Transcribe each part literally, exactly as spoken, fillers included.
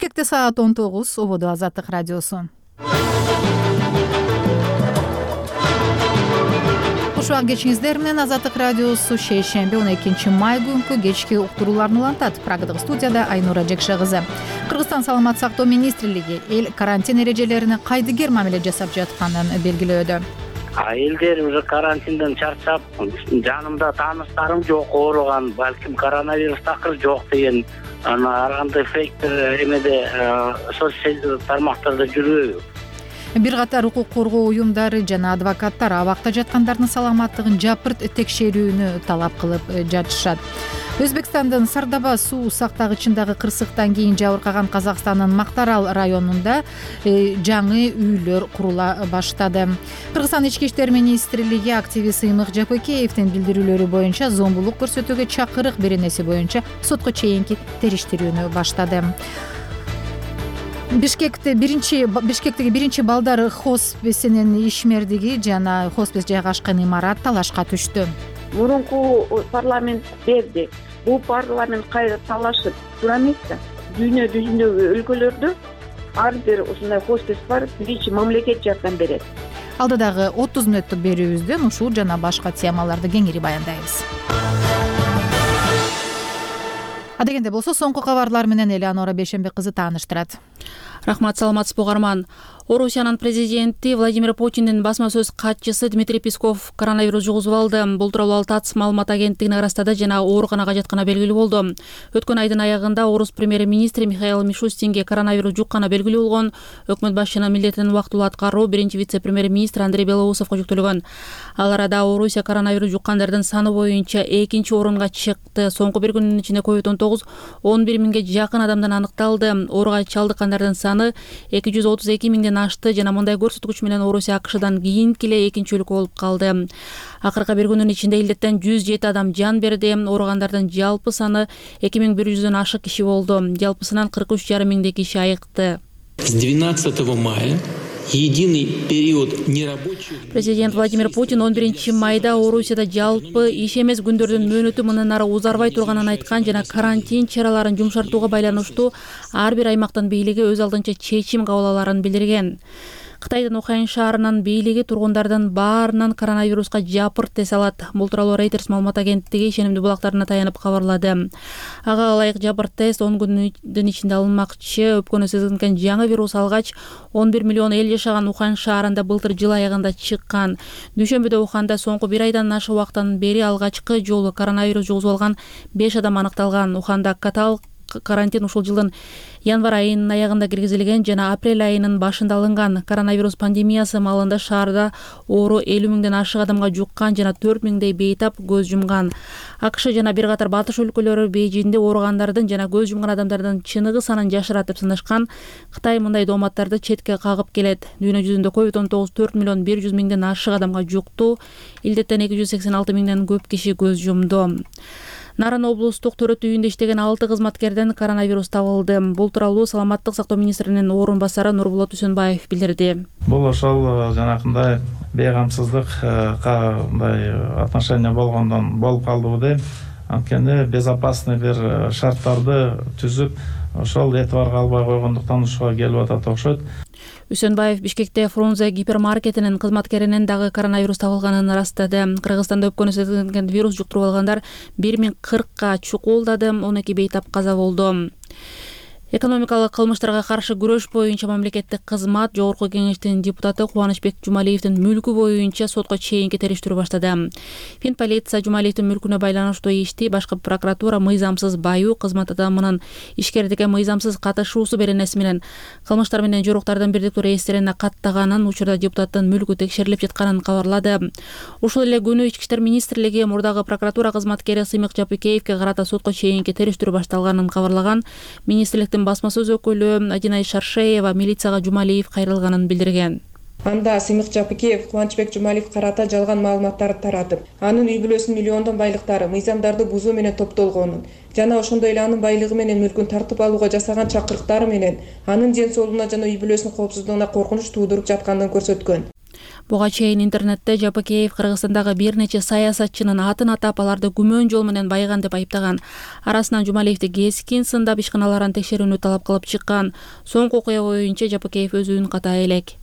Бишкекте саат он тогуз. Ободо Азаттык радиосу. Ушуга кечиңиздер менен Азаттык радиосу шейшемби он экинчи май күнкү кечки уктурууларын улантат. Прагадагы студияда Айнура Жекше кызы. Кыргызстан саламат сактоо министрлиги эл карантин эрежелерине кайдыгер мамиле жасап жатканын белгилөөдө. Элдер уже карантинден чарчап, жанымда тааныштарым жок ооруган, балким коронавирус такыр жок деген ана ар кандай фейктер эмеде соцсет тармактарда жүрбөйбү. Бир катар укук коргоо уюмдары жана адвокаттар абакта жаткандардын саламаттыгын жапырт текшерүүнү талап кылып жатышат. Өзбекстандын Сардаба суу сактагычындагы кырсыктан кийин жабыркаган Казакстандын Мактарал районунда жаңы үйлөр курула баштады. Кыргызстан ички иштер министрлиги активист Сыймык Жапыкеевдин билдирүүлөрү боюнча зомбулук көрсөтүүгө чакырык беренеси боюнча сотко чейинки териштирүүнү баштады. Бишкекте биринчи Бишкектеги биринчи балдар хосписинин ишмердиги жана хоспис жайгашкан имарат талашка түштү. Мурунку парламент берди. Бул парламент кайра талашып туура эмес да. Дүйнө жүзүндөгү өлкөлөрдө ар бир ушундай хоспис бар, биринчи мамлекет жардам берет. Алдыдагы отуз мүнөттүк берүүбүздөн ушул жана башка темаларды кеңири баяндайбыз. Адегенде болсо соңку кабарлар менен Элеонора Бейшембек кызы тааныштырат. Рахмат, саламатсызбы угарман. Орусиянын президенти Владимир Путиндин басма сөз катчысы Дмитрий Песков коронавирус жугузуп алды. Бул тууралуу ТАСС маалымат агенттигине ырастады жана ооруканага жатканы белгилүү болду. Өткөн айдын аягында орус премьер-министри Михаил Мишустинге коронавирус жукканы белгилүү болгон. Өкмөт башчынын милдетин убактылуу аткаруу биринчи вице-премьер-министр Андрей Белоусовго жүктөлгөн. Ал арада Орусия коронавирус жуккандардын саны боюнча экинчи орунга чыкты. Соңку бир күнүн ичинде ковид он тогуз он бир миңге жакын адамдан аныкталды. Ооруга чалдыккандардын саны эки жүз отуз эки миңден ашты жана мындай көрсөткүч менен Орусия АКШдан кийинки эле экинчи өлкө болуп калды. Акыркы бир күнүн ичинде илдеттен жүз жети адам жан берди. Ооругандардын жалпы саны эки миң бир жүздөн ашык киши болду. Жалпысынан кырк үч жарым миңдей киши айыкты. С двенадцатого мая единый период нерабочих. Президент Владимир Путин он биринчи майда Орусияда жалпы иш эмес күндөрдүн мөөнөтү мындан ары узарбай турганын айткан жана карантин чараларын жумшартууга байланыштуу ар бир аймактын бийлиги өз алдынча чечим кабыл аларын билдирген. Кытайдын Ухань шаарынын бийлиги тургундардын баарынан коронавируска жапырт тест алат. Бул тууралуу Reuters маалымат агенттиги ишенимдүү булактарына таянып кабарлады. Ага ылайык жапырт тест он күндүн ичинде алынмакчы. Өпкөнү сезилген жаңы вирус алгач он бир миллион эл жашаган Ухань шаарында былтыр жыл аягында чыккан. Дүйшөмбүдө Уханда соңку бир айдан ашык убакыттан бери алгачкы жолу коронавирус жугузуп алган беш адам аныкталган. Уханда катал карантин ушул жылдын январь айынын аягында киргизилген жана апрель айынын башында алынган. Коронавирус пандемиясы маалында шаарда оору элүү миңден ашык адамга жуккан жана төрт миңдей бейтап көз жумган. АКШ жана бир катар батыш өлкөлөрү Бейжиңде ооругандардын жана көз жумган адамдардын чыныгы санын жашыратып сынашкан. Кытай мындай дооматтарды четке кагып келет. Дүйнө жүзүндө ковид он тогуз төрт миллион бир жүз миңден ашык адамга жукту. Илдеттен эки жүз сексен алты миңден көп киши көз жумду. Нарын облустук төрөт үйүндө иштеген алты кызматкерден коронавирус табылды. Бул тууралуу саламаттык сактоо министринин орун басары Нурбулат Үсөнбаев билдирди. Бул ошол жанакындай бейгамсыздык кандай отношение болгондон болуп калдыбы дейм. Анткени безопасный бир шарттарды түзүп, ошол этибарга албай койгондуктан ушуга келип атат окшойт. Үсөнбаев Бишкекте Фрунзе гипермаркетинин кызматкеринен дагы коронавирус табылганын ырастады. Кыргызстанда өпкөнү сезилген вирус жуктуруп алгандар бир миң кыркка чукулдады, он эки бейтап каза болду. Экономикалык кылмыштарга каршы күрөш боюнча мамлекеттик кызмат Жогорку кеңештин депутаты Кубанычбек Жумалиевдин мүлкү боюнча сотко чейинки териштирүү баштады. Фин полиция Жумалиевдин мүлкүнө байланыштуу ишти башкы прокуратура мыйзамсыз баюу, кызмат адамынын ишкердикке мыйзамсыз катышуусу беренеси менен кылмыштар менен жоруктардын бирдиктүү реестрине каттаганын, учурда депутаттын мүлкү текшерилип жатканын кабарлады. Ушул эле күнү Ички иштер министрлиги мурдагы прокуратура кызматкери Сыймык Жапыкеевге карата сотко чейинки териштирүү башталганын кабарлаган. Министрликтин басма сөз өкүлү Адинай Шаршеева милицияга Жумалиев кайрылганын билдирген. Анда Сыймык Жапыкеев Кубанычбек Жумалиев карата жалган маалыматтарды таратып, анын үй бүлөсүнүн миллиондон байлыктары мыйзамдарды бузуу менен топтолгонун жана ошондой эле анын байлыгы менен мүлкүн тартып алууга жасаган чакырыктары менен анын ден соолугуна жана үй бүлөсүнүн коопсуздугуна коркунуч туудуруп жатканын көрсөткөн. Буга чейин интернетте Жапакеев Кыргызстандагы бир нече саясатчынын атын атап, аларды күмөн жол менен байыган деп айыптаган. Арасынан Жумалиевди кескин сындап ишканаларын текшерүүнү талап кылып чыккан. Соңку окуя боюнча Жапакеев өзүн ката элек.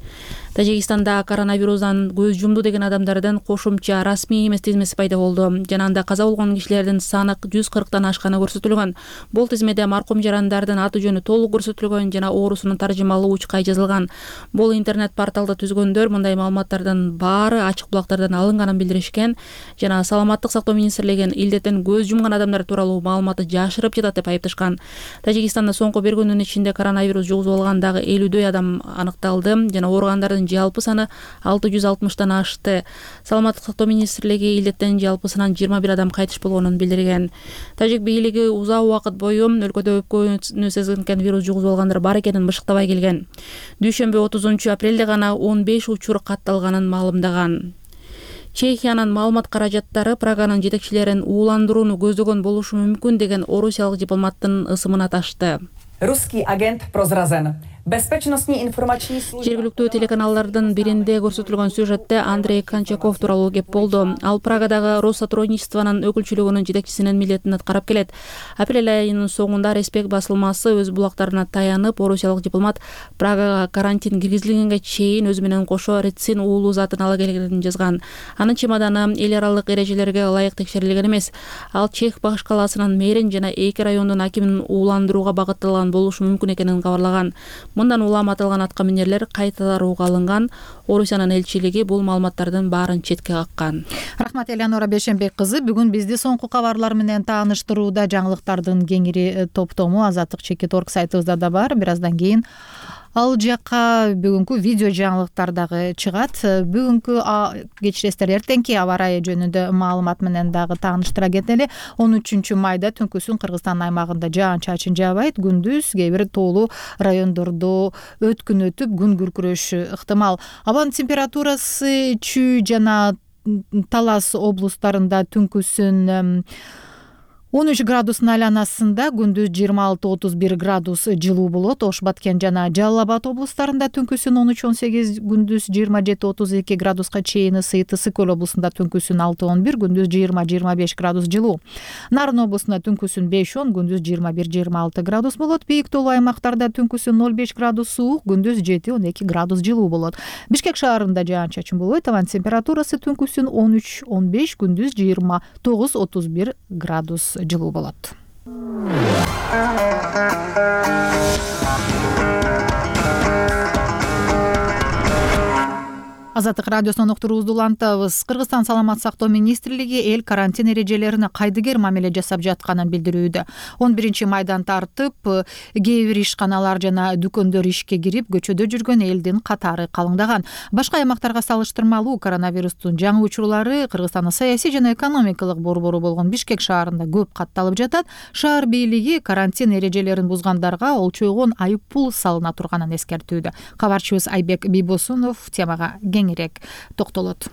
Тажикстанда коронавирустан көз жумду деген адамдардын кошумча расмий эмес тизмеси пайда болду. Жана анда каза болгон кишилердин саны жүз кырктан ашканы көрсөтүлгөн. Бул тизмеде маркум жарандардын аты жөнү толук көрсөтүлгөн жана оорусунун таржымалуу учкай жазылган. Бул интернет порталды түзгөндөр мындай маалыматтардын баары ачык булактардан алынганын билдиришкен жана Саламаттык сактоо министрлигин илдеттен көз жумган адамдар тууралуу маалыматты жашырып жатат деп айыпташкан. Тажикстанда соңку бир күнүн ичинде коронавирус жугузуп алгандагы элүүдөй адам аныкталды жана ооругандардын жалпы саны алты жүз алтымыштан ашты. Саламаттык сактоо министрлиги илдеттен жалпысынан жыйырма бир адам кайтыш болгонун билдирген. Тажик бийлиги узак убакыт бою өлкөдө өпкөнү сезген вирус жугузуп алгандар бар экенин бышыктабай келген. Дүйшөмбү отузунчу апрелде гана он беш учур катталганын маалымдаган. Чехиянын маалымат каражаттары Праганын жетекчилерин ууландырууну көздөгөн болушу мүмкүн деген орусиялык дипломаттын ысымына ташты. Русский агент прозразен. Безопасностный информационный служба. Жергиликтүү телеканалдардын биринде көрсөтүлгөн сюжетте Андрей Кончаков тууралуу кеп болду. Ал Прагадагы Россотрудничествонун өкүлчүлүгүнүн жетекчисинин милдетин аткарып келет. Апрель айынын соңунда Респект басылмасы өз булактарына таянып, орусиялык дипломат Прагага карантин киргизилгенге чейин өзү менен кошо рецин уулуу затын ала келгенин жазган. Анын чемоданы эл аралык эрежелерге ылайык текшерилген эмес. Ал Чех башкаласынын мэрин жана эки райондун акимин ууландырууга багытталган болушу мүмкүн экенин кабарлаган. Мындан улам аталган атка минерлер кайтарууга алынган. Орусиянын элчилиги бул маалыматтардын баарын четке каккан. Рахмат, Элеонора Бешенбек кызы. Бүгүн бизди соңку кабарлар менен тааныштырууда жаңылыктардын кеңири топтому Азаттык чекит орг сайтыбызда да бар. Бир аздан кийин ал жакка бүгүнкү видео жаңылыктар дагы чыгат. Бүгүнкү кечиресиздер, эртеңки аба ырайы жөнүндө маалымат менен дагы тааныштыра кетели. он үчүнчү майда түнкүсүн Кыргызстан аймагында жаан-чачын жаабайт. Күндүз кээ бир тоолуу райондордо өткүн өтүп күн күркүрөшү ыктымал. Абанын температурасы Чүй жана Талас облустарында түнкүсүн он үч градустун айланасында, күндүз жыйырма алты отуз бир градус жылуу болот. Ош Баткен жана Жалал Абад облустарында түнкүсүн он үч он сегиз, күндүз жыйырма жети отуз эки градуска чейин ысыйт. Ысык көл облусунда түнкүсүн алты он бир, күндүз жыйырма жыйырма беш градус жылуу. Нарын облусунда түнкүсүн беш он, күндүз жыйырма бир жыйырма алты градус болот. Бийик тоолуу аймактарда түнкүсүн ноль беш градус суук, күндүз жети он эки градус жылуу болот. Бишкек шаарында жаан-чачын болбойт. Абанын температурасы түнкүсүн он үч он беш, күндүз жыйырма тогуз отуз бир градус жылуу болот. Азаттык радиосунун уктуруубузду улантабыз. Кыргызстан саламат сактоо министрлиги эл карантин эрежелерине кайдыгер мамиле жасап жатканын билдирүүдө. он биринчи майдан тартып, кээ бир ишканалар жана дүкөндөр ишке кирип, көчөдө жүргөн элдин катары калыңдаган. Башка аймактарга салыштырмалуу коронавирустун жаңы учурлары Кыргызстандын саясий жана экономикалык борбору болгон Бишкек шаарында көп катталып жатат. Шаар бийлиги карантин эрежелерин бузгандарга олчойгон айып пул салына турганын эскертүүдө. Кабарчыбыз Айбек Бийбосунов темага кеңирээк токтолот.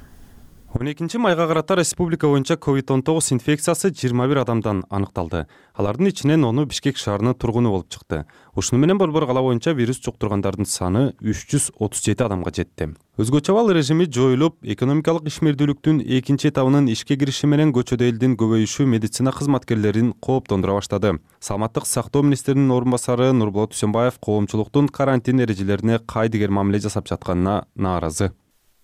он экинчи майга карата республика боюнча ковид он тогуз инфекциясы жыйырма бир адамдан аныкталды. Алардын ичинен ону Бишкек шаарынын тургуну болуп чыкты. Ушуну менен борбор кала боюнча вирус жуктургандардын саны үч жүз отуз жети адамга жетти. Өзгөчө абал режими жоюлуп, экономикалык ишмердүүлүктүн экинчи этабынын ишке кириши менен көчөдө элдин көбөйүшү медицина кызматкерлерин кооптондура баштады. Саламаттык сактоо министринин орун басары Нурболот Дүйсөнбаев коомчулуктун карантин эрежелерине кайдыгер мамиле жасап жатканына нааразы.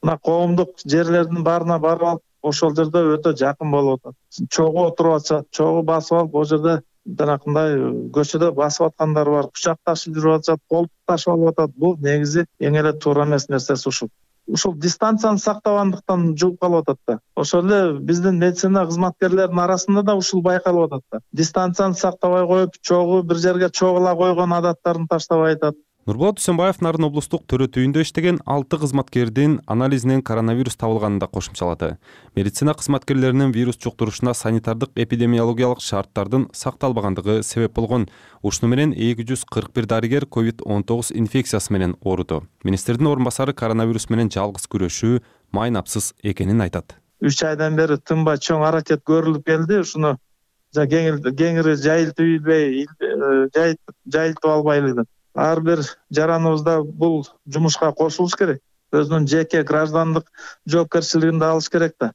Мына коомдук жерлердин баарына барып алып, ошол жерде өтө жакын болуп атат. Чогуу отуруп атышат, чогуу басып алып, ол жерде жанакындай көчөдө басып аткандар бар, кучакташып жүрүп атышат, кол ташып алып атат. Бул негизи эң эле туура эмес нерсеси ушул. Ушул дистанцияны сактабандыктан жугуп калып атат да. Ошол эле биздин медицина кызматкерлеринин арасында да ушул байкалып атат да. Дистанцияны сактабай коюп, чогуу бир жерге чогула койгон адаттарын таштабай атат. Нурболот Дүйсөнбаев Нарын облустук төрөтүйүндө иштеген алты кызматкердин анализинен коронавирус табылганын да кошумчалады. Медицина кызматкерлеринин вирус жуктурушуна санитардык эпидемиологиялык шарттардын сакталбагандыгы себеп болгон. Ушуну менен эки жүз кырк бир дарыгер ковид он тогуз инфекциясы менен ооруду. Министрдин орун басары коронавирус менен жалгыз күрөшүү майнапсыз экенин айтат. үч айдан бери тынбай чоң аракет көрүлүп келди. Ушуну кеңири жайылтып ийбей, жайылтып албайлы. Ар бир жараныбызда бул жумушка кошулуш керек. өзүнүн жеке граждандык жоопкерчилигин да алыш керек да.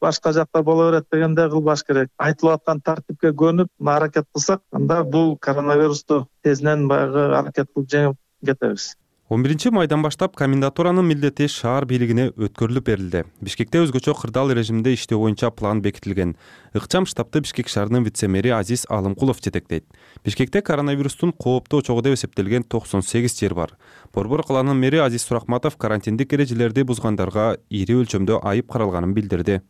Башка жакта боло берет дегенде кылбаш керек. Айтылып аткан тартипке көнүп аракет кылсак, анда бул коронавирусту тезинен баягы аракет кылып жеңип кетебиз. он биринчи майдан баштап комендатуранын милдети шаар бийлигине өткөрүлүп берилди. Бишкекте өзгөчө кырдаал режимде иштөө боюнча план бекитилген. Ыкчам штабты Бишкек шаарынын вице-мэри Азиз Алымкулов жетектейт. Бишкекте коронавирустун кооптуу чогу деп эсептелген токсон сегиз жер бар. Борбор калаанын мэри Азиз Суракматов карантиндик эрежелерди бузгандарга ири өлчөмдө айып каралганын билдирди.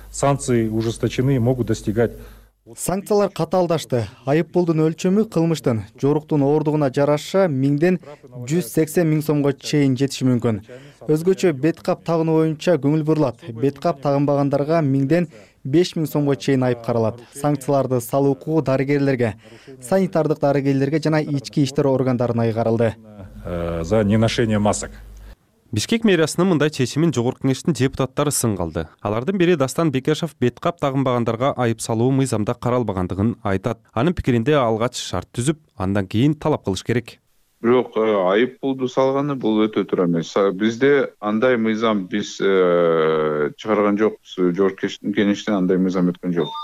Санкции ужесточены, могут достигать. Санкциялар катаалдашты. Айыппулдун өлчөмү кылмыштын жоруктун ооругуна жараша миңден жүз сексен миң сомго чейин жетиши мүмкүн. Өзгөчө бет кап тагынуу боюнча көңүл бурулат. Бет кап тагынбагандарга миңден беш миң сомго чейин айып каралат. Санкцияларды салуу укугу дарыгерлерге, санитардык дарыгерлерге жана ички иштер органдарына айгарылды. За неношение масок. Бишкек мэриясынын мындай чечимин жогорку кеңештин депутаттары сынга алды. Алардын бири Дастан Бекешев бет кап тагынбагандарга айып салуу мыйзамда каралбагандыгын айтат. Анын пикиринде алгач шарт түзүп, андан кийин талап кылыш керек. Бирок айып пулду салганы бул өтө туура эмес. Бизде андай мыйзам биз чыгарган жокпуз. Жогорку кеңештен андай мыйзам өткөн жок.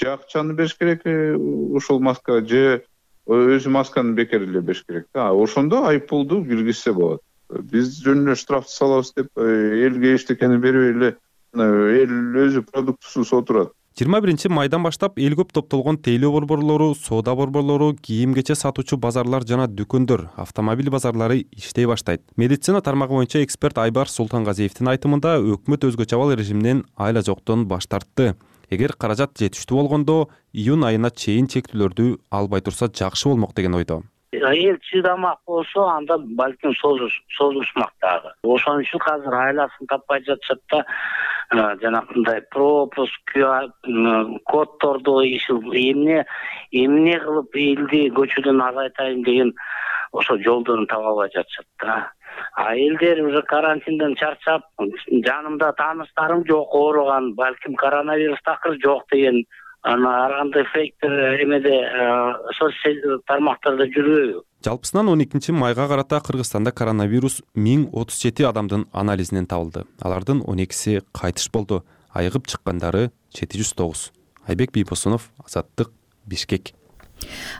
Же акчаны бериш керек ушул маска, же өзү масканы бекер эле бериш керек. Ошондо айып пулду киргизсе болот. Биз жөн эле штрафты салабыз деп элге эчтекени бербей эле эл өзү продуктусуз отурат. жыйырма биринчи майдан баштап эл көп топтолгон тейлөө борборлору, соода борборлору, кийим-кече сатуучу базарлар жана дүкөндөр, автомобиль базарлары иштей баштайт. Медицина тармагы боюнча эксперт Айбар Султангазиевдин айтымында өкмөт өзгөчө абал режиминен айла жоктон баш тартты. Эгер каражат жетиштүү болгондо июнь айына чейин чектүүлөрдү албай турса жакшы болмок деген ойдо. Эл чыдамак болсо, анда балким созулушмак дагы. Ошон үчүн азыр айласын таппай жатышат да, жанагындай пропуск, кодторду эмне эмне кылып элди көчөдөн азайтайын деген ошо жолдорун таба албай жатышат да. А элдер уже карантинден чарчап, жанымда тааныстарым жок ооруган, балким коронавирус такыр жок деген ана ар кандай фейктер эмеде социалдык тармактарда жүрбөйбү? Жалпысынан он экинчи майга карата Кыргызстанда коронавирус миң отуз жети адамдын анализинен табылды. Алардын он экиси кайтыш болду. Айыгып чыккандары жети жүз тогуз. Айбек Бийбосунов, Азаттык, Бишкек.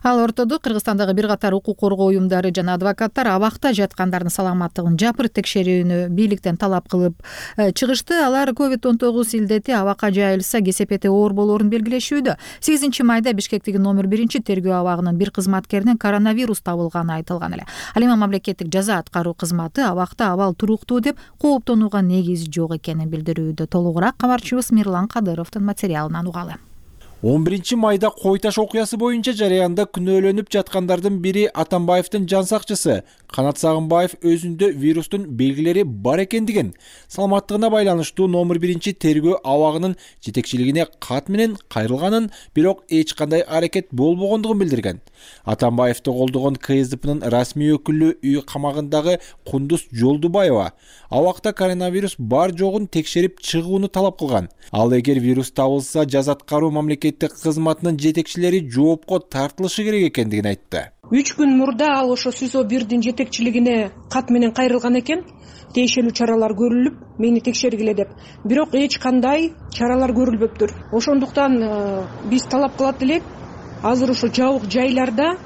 Ал ортодо Кыргызстандагы бир катар укук коргоо уюмдары жана адвокаттар абакта жаткандардын саламаттыгын жапырт текшерүүнү бийликтен талап кылып чыгышты. Алар ковид он тогуз илдети абакка жайылса кесепети оор болоорун белгилешүүдө. сегизинчи майда Бишкектеги номер биринчи тергөө абагынын бир кызматкеринен коронавирус табылганы айтылган эле. Ал эми мамлекеттик жаза аткаруу кызматы абакта абал туруктуу деп кооптонууга негиз жок экенин билдирүүдө. Толугураак кабарчыбыз Мирлан Кадыровдун материалынан угалы. он биринчи майда Кой Таш окуясы боюнча жарыянда күнөөлөнүп жаткандардын бири Атамбаевдин жан сакчысы Канат Сагынбаев өзүндө вирустун белгилери бар экендигин, саламаттыгына байланыштуу номер биринчи тергөө абагынын жетекчилигине кат менен кайрылганын, бирок эч кандай аракет болбогондугун билдирген. Атамбаевди колдогон КСДПнын расмий өкүлү үй камагындагы Кундуз Жолдубаева абакта коронавирус бар жогун текшерип чыгууну талап кылган. Ал эгер вирус табылса, жаза аткаруу мамлекеттик кызматынын жетекчилери жоопко тартылышы керек экендигин айтты. үч күн мурда ал ошо СИЗО бирдин жетекчилигине кат менен кайрылган экен. Тиешелүү чаралар көрүлүп, мени текшергиле деп. Бирок эч кандай чаралар көрүлбөптүр. Ошондуктан биз талап кылат элек, азыр ошо жабык жайларда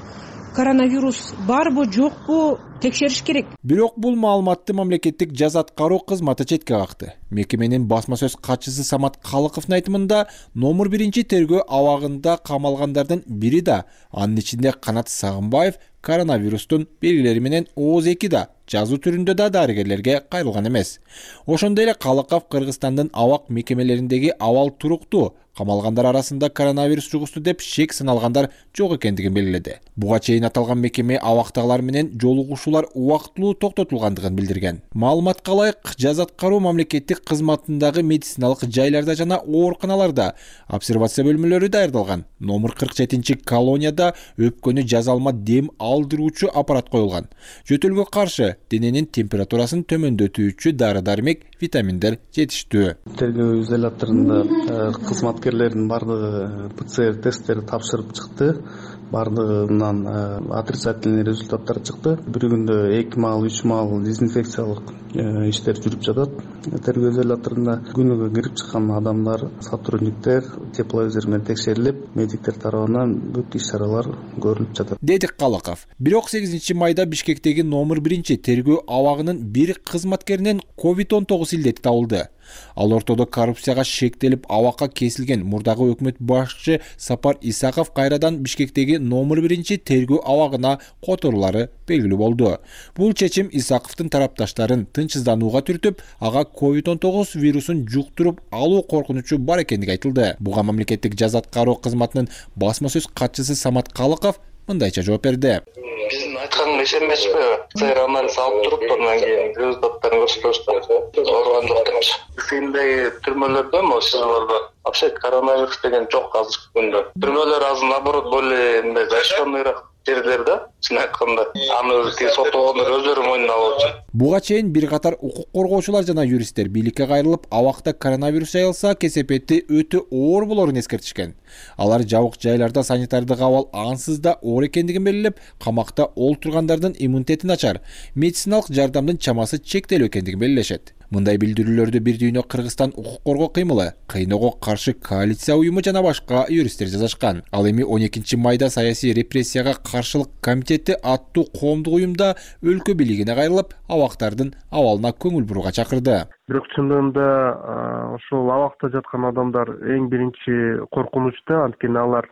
коронавирус барбы, жокпу текшериш керек. Бирок бул маалыматты мамлекеттик жаза аткаруу кызматы четке какты. Мекеменин басма сөз катчысы Самат Калыковдун айтымында, номер биринчи тергөө абагында камалгандардын бири да, анын ичинде Канат Сагынбаев коронавирустун белгилери менен ооз эки да, жазуу түрүндө да дарыгерлерге кайрылган эмес. Ошондой эле Калыков Кыргызстандын абак мекемелериндеги абал туруктуу, камалгандар арасында коронавирус жугушту деп шек сыналгандар жок экендигин белгиледи. Буга чейин аталган мекеме абактагылар менен жолугушуулар убактылуу токтотулгандыгын билдирген. Маалыматка ылайык, жаза аткаруу мамлекеттик кызматындагы медициналык жайларда жана ооруканаларда обсервация бөлмөлөрү даярдалган. Номер кырк жетинчи колонияда өпкөнү жаза алма дем алдыруучу аппарат коюлган. Жөтөлгө каршы дененин температурасын төмөндөтүүчү дары-дармек, витаминдер жетиштүү. Тергөө изоляторунда кызматкерлердин бардыгы ПЦР тесттери тапшырып чыкты. Бардыгынан отрицательный результаттар чыкты. Bir күндө эки маал, үч маал дезинфекциялык иштер жүрүп жатат. Тергөө изоляторунда күнүгө кирип чыккан адамдар, сотрудниктер тепловизор менен текшерилип, медиктер тарабынан бүт иш-чаралар көрүлүп жатат. Деди Калаков. Бирок сегизинчи майда Бишкектеги номер биринчи тергөө абагынын бир кызматкеринен ковид он тогуз илдети табылды. Ал ортодо коррупцияга шектелип абакка кесилген мурдагы өкмөт башчы Сапар Исаков кайрадан Бишкектеги номер биринчи тергөө абагына которулары белгилүү болду. Бул чечим Исаковдун тарапташтарын тынчсызданууга түртүп, ага ковид он тогуз вирусун жуктуруп алуу коркунучу бар экендиги айтылды. Буга мамлекеттик жаза аткаруу кызматынын басма сөз катчысы Самат Калыков мындайча жооп берди. Биздин айтканга ишенбейсизби? ПЦР анализ алып туруп, андан кийин результаттарын көрсөтүбүз. Ооруган жок депчи. Бишкектеги түрмөлөрдө сизлерде вообще коронавирус деген жок азыркы күндө. Түрмөлөр азыр наоборот более мындай зашканныйраак жерлерде, чын айтканда, аны соттогондор өздөрү мойнуна алып атат. Буга чейин бир катар укук коргоочулар жана юристтер бийликке кайрылып, абакта коронавирус жайылса, кесепети өтө оор болорун эскертишкен. Алар жабык жайларда санитардык абал ансыз да оор экендигин белгилеп, камакта олтургандардын иммунитети начар, медициналык жардамдын чамасы чектелүү экендигин белгилешет. Мындай билдирүүлөрдү бир дүйнө Кыргызстан укук коргоо кыймылы, кыйноого каршы коалиция уюму жана башка юристтер жазышкан. Ал эми он экинчи майда саясий репрессияга каршылык комитети аттуу коомдук уюмда өлкө бийлигине кайрылып, абактардын абалына көңүл бурууга чакырды. Бирок чындыгында ошол абакта жаткан адамдар эң биринчи коркунучта, анткени алар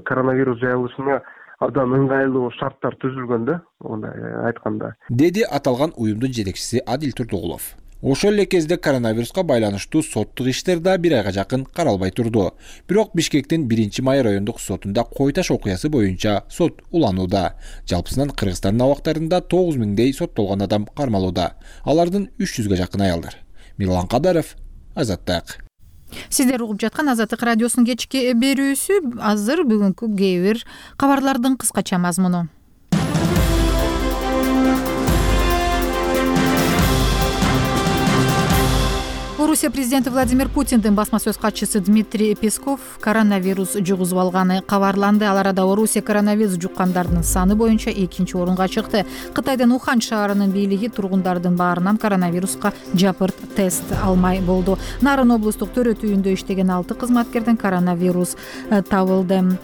коронавирус жайылышына абдан ыңгайлуу шарттар түзүлгөн да, мындай айтканда. Деди аталган уюмдун жетекчиси Адил Турдугулов. Ошол эле кезде коронавируска байланыштуу соттук иштер да бир айга жакын каралбай турду. Бирок Бишкектин биринчи май райондук сотунда Кой Таш окуясы боюнча сот уланууда. Жалпысынан Кыргызстандын абактарында тогуз миңдей соттолгон адам кармалууда. Алардын үч жүзгө жакын аялдар. Мирлан Кадаров, Азаттык. Сиздер угуп жаткан Азаттык радиосунун кечки берүүсү. Азыр бүгүнкү кээ бир кабарлардын кыскача мазмуну. Орусия президенти Владимир Путиндин басма сөз катчысы Дмитрий Песков коронавирус жугузуп алганы кабарланды. Ал арада Орусия коронавирус жуккандардын саны боюнча экинчи орунга чыкты. Кытайдын Ухан шаарынын бийлиги тургундардын баарынан коронавируска жапырт тест алмай болду. Нарын облустук төрөт үйүндө иштеген алты кызматкерден коронавирус табылды.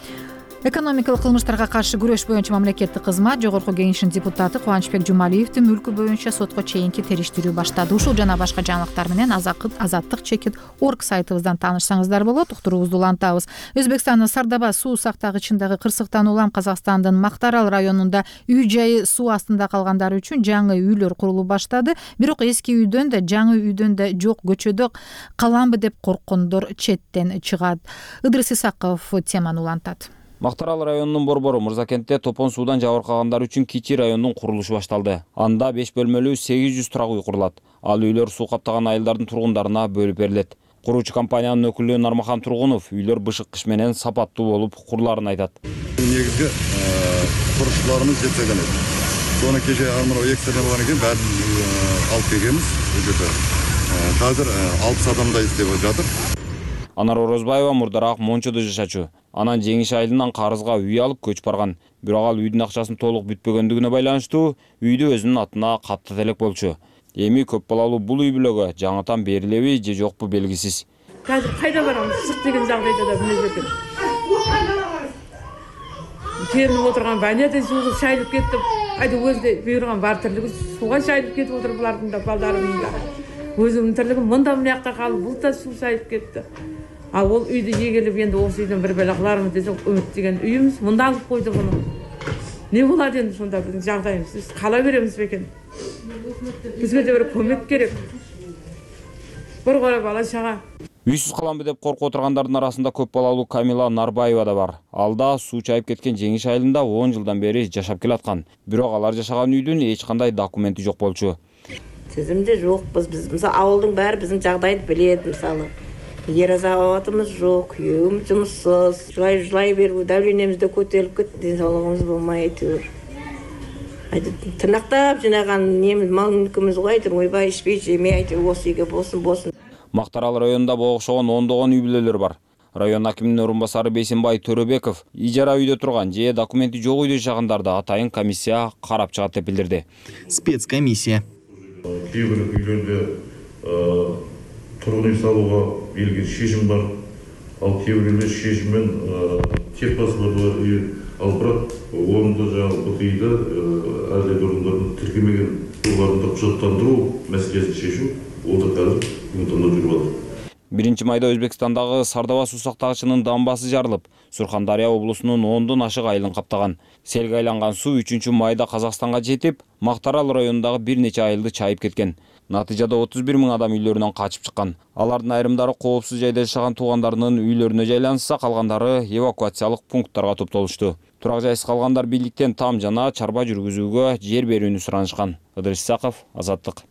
Экономикалык кылмыштарга каршы күрөш боюнча мамлекеттик кызмат жогорку кеңешинин депутаты Кубанычбек Жумалиевдин мүлкү боюнча сотко чейинки териштирүү баштады. Ушул жана башка жаңылыктар менен азаттык чекит орг сайтыбыздан таанышсаңыздар болот. Уктуруубузду улантабыз. Өзбекстандын Сардаба суу сактагычындагы кырсыктан улам Казакстандын Мактарал районунда үй жайы суу астында калгандар үчүн жаңы үйлөр курулуп баштады. Бирок эски үйдөн да жаңы үйдөн да жок көчөдө каламбы деп корккондор четтен чыгат. Ыдырыс Исаков теманы улантат. Мактарал районунун Борбору Мырзакентте топон суудан жабыркагандар үчүн кичи райондун курулушу башталды. Анда беш бөлмөлүү сегиз жүз турак үй курулат. Ал үйлөр суу каптаган айылдардын тургундарына бөлүп берилет. Куруучу компаниянын өкүлү Нармахан Тургунов үйлөр бышык кыш менен сапаттуу болуп курулаарын айтат. Негизги курушууларыбыз жетпеген эди. Сону кече мына эки сene болгон экен, баарын алып келгенбиз. Азыр алпыс адамдай иштеп жатыр. Анар Орозбаева мурдараак Мончодо жашачу. Анан Жеңиш айылынан карызга үй алып көчүп барган. Бирок ал үйдүн акчасын толук бүтпөгөндүгүнө байланыштуу үйдү өзүнүн атына каптат элек болчу. Эми көп балалуу бул үй бүлөгө жаңытан берилеби же жокпу белгисиз. Азыр кайда барамыз? Чык деген жагдайда да биле экен. Келип отурган баняда суу шайлып кетти. Айда өзү буйруган бар тирлиги сууга шайлып кетип отуруп булардын да балдарынын да. Өзүмдүн тирлигим мында мынакта калып бул да суу шайлып кетти. Ал ол үйдү эгелеп энди осы үйдөн бир бала кылармын десек үмүттөгөн үйүбүз мында алып койду муну. Не болот энди сонда биздин жагдайыбыз? Биз кала беребиз бекен? Бизге да бир көмөк керек. Бир кора бала чага. Үйсүз каламбы деп коркуп отургандардын арасында көп балалуу Камила Нарбаева да бар. Ал да суу чайып кеткен Жеңиш айылында он жылдан бери жашап келаткан. Бирок алар жашаган үйдүн эч кандай документи жок болчу. Тизимде жокпуз биз. Мисалы ауылдың баары биздин жагдайды билет, мисалы. Ер азабатымыз жок, күйөөм жумушсуз, жылай жылай берип, давлениемиз да көтөрүлүп кетти, ден соолугубуз болмой әйтеуир. тырнактап жинаган немиз мал мүлкүбүз го айтыр ойбай ичпей жемей айтыр осы үйгө болсун болсун. Мактарал районунда богошогон ондогон үй бүлөлөр бар. Район акиминин орун басары Бейсенбай Төрөбеков ижара үйдө турган же документи жок үйдө жашагандарды атайын комиссия карап чыгат деп билдирди. Спецкомиссия. Кээ бир үйлөрдө тургун үй салууга берилген шешим бар. Ал кээ бир үйлер шешиммен тек басыларды үй алып барат. Орунда жаңы бу үйдө ар кайсы орундардын тиркелмеген жерлеринде кучаттандыруу маселесин шешу ол да казыр бүгүнкү күндө жүрүп атат. биринчи майда Өзбекстандагы Сардава суу сактагычынын дамбасы жарылып, Сурхандария облусунун ондон ашык айылын каптаган. Селге айланган суу үчүнчү майда Казакстанга жетип, Мактарал районундагы бир нече айылды чайып кеткен. Натыйжада отуз бир миң адам үйлөрүнөн качып чыккан. Алардын айрымдары коопсуз жайда жашаган туугандарынын үйлөрүнө жайланса, калгандары эвакуациялык пункттарга топтолушту. Турак жайсыз калгандар бийликтен там жана чарба жүргүзүүгө жер берүүнү суранышкан. Ыдырыс Исаков, Азаттык.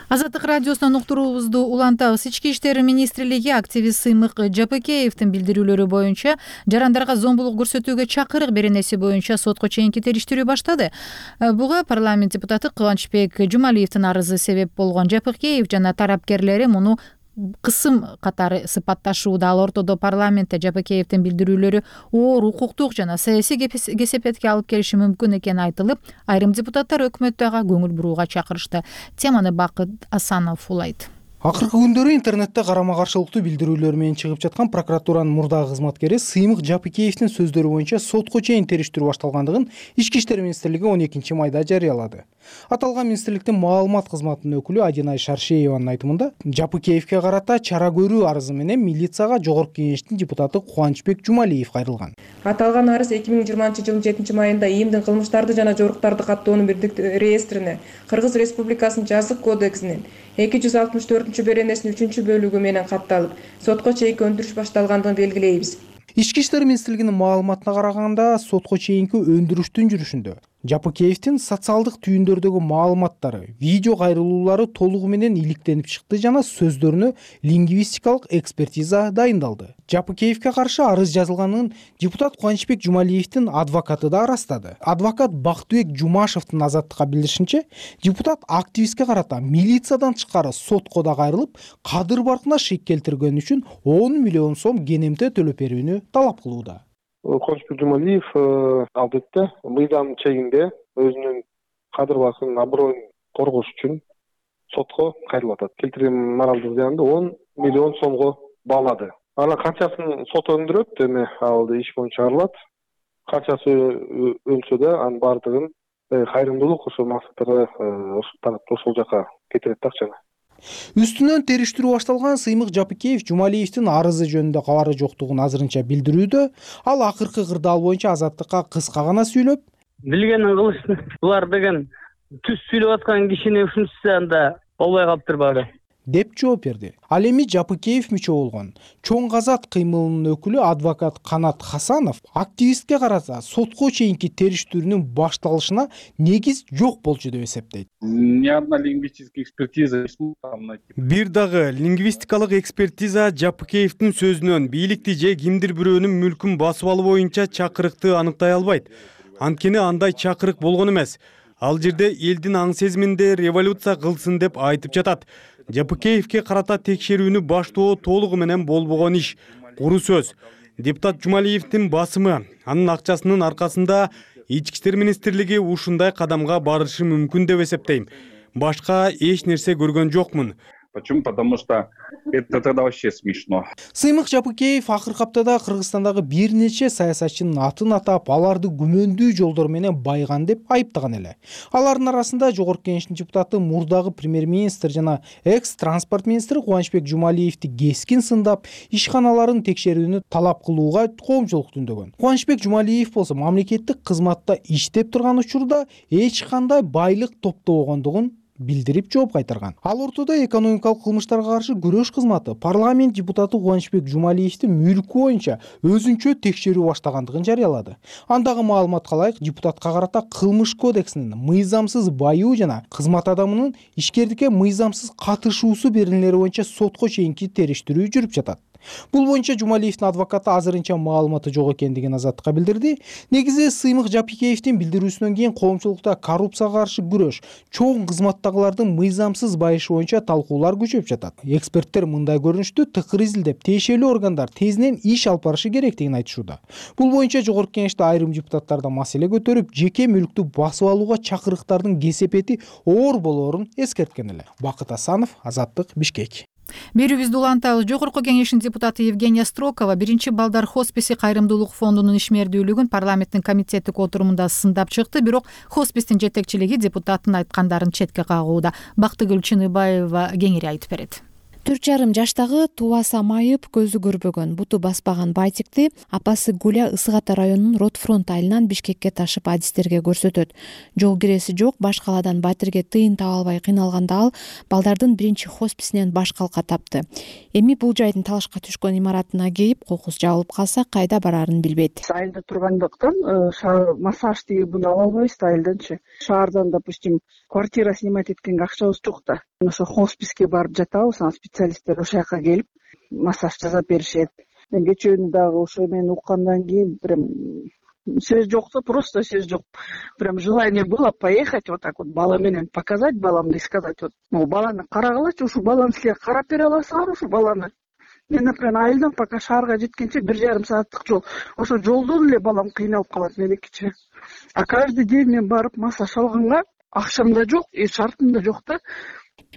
Азаттык радиосунан уктуруубузду улантабыз. Ички иштер министрлиги активист Сыймык Жапыкеевдин билдирүүлөрү боюнча жарандарга зомбулук көрсөтүүгө чакырык беренеси боюнча сотко чейинки териштирүү баштады. Буга парламент депутаты Кубанычбек Жумалиевдин арызы себеп болгон. Жапыкеев жана тарапкерлери муну кысым катары сыпатташууда. Ал ортодо парламентте Жапыкеевдин билдирүүлөрү оор укуктук жана саясий кесепетке алып келиши мүмкүн экени айтылып, айрым депутаттар өкмөттү ага көңүл бурууга чакырышты. Теманы Бакыт Асанов улайт. Акыркы күндөрү интернетте карама каршылыктуу билдирүүлөр менен чыгып жаткан прокуратуранын мурдагы кызматкери Сыймык Жапыкеевдин сөздөрү боюнча сотко чейин териштирүү башталгандыгын Ички иштер министрлиги он экинчи майда жарыялады. Аталган министрликтин маалымат кызматынын өкүлү Адинай Шаршееванын айтымында, Жапыкеевге карата чара көрүү арызы менен милицияга Жогорку Кеңештин депутаты Кубанычбек Жумалиев кайрылган. Аталган арыз эки миң жыйырманчы жылдын жетинчи майында ИИМдин кылмыштарды жана жоруктарды каттоонун бирдик реестрине, Кыргыз Республикасынын жазык кодексинин эки жүз алтымыш төртүнчү беренесинин үчүнчү бөлүгү менен катталып, сотко чейинки өндүрүш башталгандыгын белгилейбиз. Ички иштер министрлигинин маалыматына караганда, сотко чейинки өндүрүштүн жүрүшүндө Жапыкеевдин социалдык түйүндөрдөгү маалыматтары, видео кайрылуулары толугу менен иликтенип чыкты жана сөздөрүнө лингвистикалык экспертиза дайындалды. Жапыкеевге каршы арыз жазылганын депутат Кубанычбек Жумалиевдин адвокаты да ырастады. Адвокат Бактыбек Жумашевдин Азаттыкка билдиришинче, депутат активистке карата милициядан тышкары сотко да кайрылып, кадыр баркына шек келтиргени үчүн он миллион сом кенемте төлөп берүүнү талап кылууда. Кубанычбек Жумалиев албетте мыйзам чегинде өзүнүн кадыр басынын аброюн коргош үчүн сотко кайрылып атат. Келтирген моралдык зыянды он миллион сомго баалады. Анан канчасын сот өндүрөт, эми ал иш боюнча чыгарылат. Канчасы өнсө да анын баардыгын кайрымдуулук ошол максаттарга ошол тарапта ошол жака кетирет да акчаны. Үстүнөн териштирүү башталган Сыймык Жапыкеев Жумалиевдин арызы жөнүндө кабары жоктугун азырынча билдирүүдө. Ал акыркы кырдаал боюнча Азаттыкка кыска гана сүйлөп, билгенин кылышты. Булар деген түз сүйлөп аткан кишини ушунчусу анда болбой калыптыр баары деп жооп берди. Ал эми Жапыкеев мүчө болгон Чоң Казат кыймылынын өкүлү адвокат Канат Хасанов активистке карата сотко чейинки териштирүүнүн башталышына негиз жок болчу деп эсептейт. Ни одна лингвистическая экспертиза. Бир дагы лингвистикалык экспертиза Жапыкеевдин сөзүнөн бийликти же кимдир бирөөнүн мүлкүн басып алуу боюнча чакырыкты аныктай албайт. Анткени андай чакырык болгон эмес. Ал жерде элдин аң сезиминде революция кылсын деп айтып жатат. Жапыкеевге карата текшерүүнү баштоо толугу менен болбогон иш. Куру сөз. Депутат Жумалиевдин басымы, анын акчасынын аркасында Ички иштер министрлиги ушундай кадамга барышы мүмкүн деп эсептейм. Башка эч нерсе көргөн жокмун. Почему? Потому что это тогда вообще смешно. Сыймык Жапыкеев акыркы аптада Кыргызстандагы бир нече саясатчынын атын атап, аларды күмөндүү жолдор менен байган деп айыптаган эле. Алардын арасында Жогорку Кеңештин депутаты мурдагы премьер-министр жана экс-транспорт министри Кубанычбек Жумалиевди кескин сындап, ишканаларын текшерүүнү талап кылууга коомчулук түндөгөн. Кубанычбек Жумалиев болсо мамлекеттик кызматта иштеп турган учурда эч кандай байлык топтобогондугун билдирип жооп кайтарган. Ал ортодо экономикалык кылмыштарга каршы күрөш кызматы парламент депутаты Кубанычбек Жумалиевдин мүлкү боюнча өзүнчө текшерүү баштагандыгын жарыялады. Андагы маалыматка ылайык, депутатка карата кылмыш кодексинин мыйзамсыз баюу жана кызмат адамынын ишкердикке мыйзамсыз катышуусу беренелери боюнча сотко чейинки териштирүү жүрүп жатат. Бул боюнча Жумалиевдин адвокаты азырынча маалыматы жок экендигин Азаттыкка билдирди. Негизи Сыймык Жапикеевдин билдирүүсүнөн кийин коомчулукта коррупцияга каршы күрөш, чоң кызматтагылардын мыйзамсыз байышы боюнча талкуулар күчөп жатат. Эксперттер мындай көрүнүштү тыкыр изилдеп, тиешелүү органдар тезинен иш алып барышы керектигин айтышууда. Бул боюнча Жогорку Кеңеште айрым депутаттар да маселе көтөрүп, жеке мүлктү басып алууга чакырыктардын кесепети оор болоорун эскерткен эле. Бакыт Асанов, Азаттык, Бишкек. Берүүбүздү улантабыз. Жогорку Кеңештин депутаты Евгения Строкова биринчи балдар хосписи кайрымдуулук фондунун ишмердүүлүгүн парламенттин комитеттик отурумунда сындап чыкты, бирок хоспистин жетекчилиги депутаттын айткандарын четке кагууда. Бактыгүл Чыныбаева кеңири айтып берет. төрт жарым жаштагы тубаса майып, көзү көрбөгөн, буту баспаган Байтикти апасы Гуля Ысык Ата районунун Ротфронт айылынан Бишкекке ташып адистерге көрсөтөт. Жол киреси жок, баш калаадан Батирге тыйын таба албай кыйналганда ал балдардын биринчи хосписинен баш калка тапты. Эми бул жайдын талашка түшкөн имаратына кейип, кокус жабылып калса кайда барарын билбейт. Айылда тургандыктан массаж тигибин ала албайбыз да айылданчы. Шаардан, допустим, квартира снимать эткенге акчабыз жок да. Ошо хосписке барып жатабыз, анан специалисттер ошол жака келип массаж жасап беришет. Мен кечөөнү дагы ошо мен уккандан кийин прям сөз жок да, просто сөз жок. Прям желание было поехать вот так вот бала менен показать баламды и сказать вот, ну баланы карагылачы, ушу баланы силер карап бере аласыңар ушу баланы. Мен, например, айылдан пока шаарга жеткенче бир жарым сааттык жол. Ошо жолдон эле балам кыйналып калат меникичи. А каждый день мен барып массаж алганга акчам да жок, и шартым да жок да.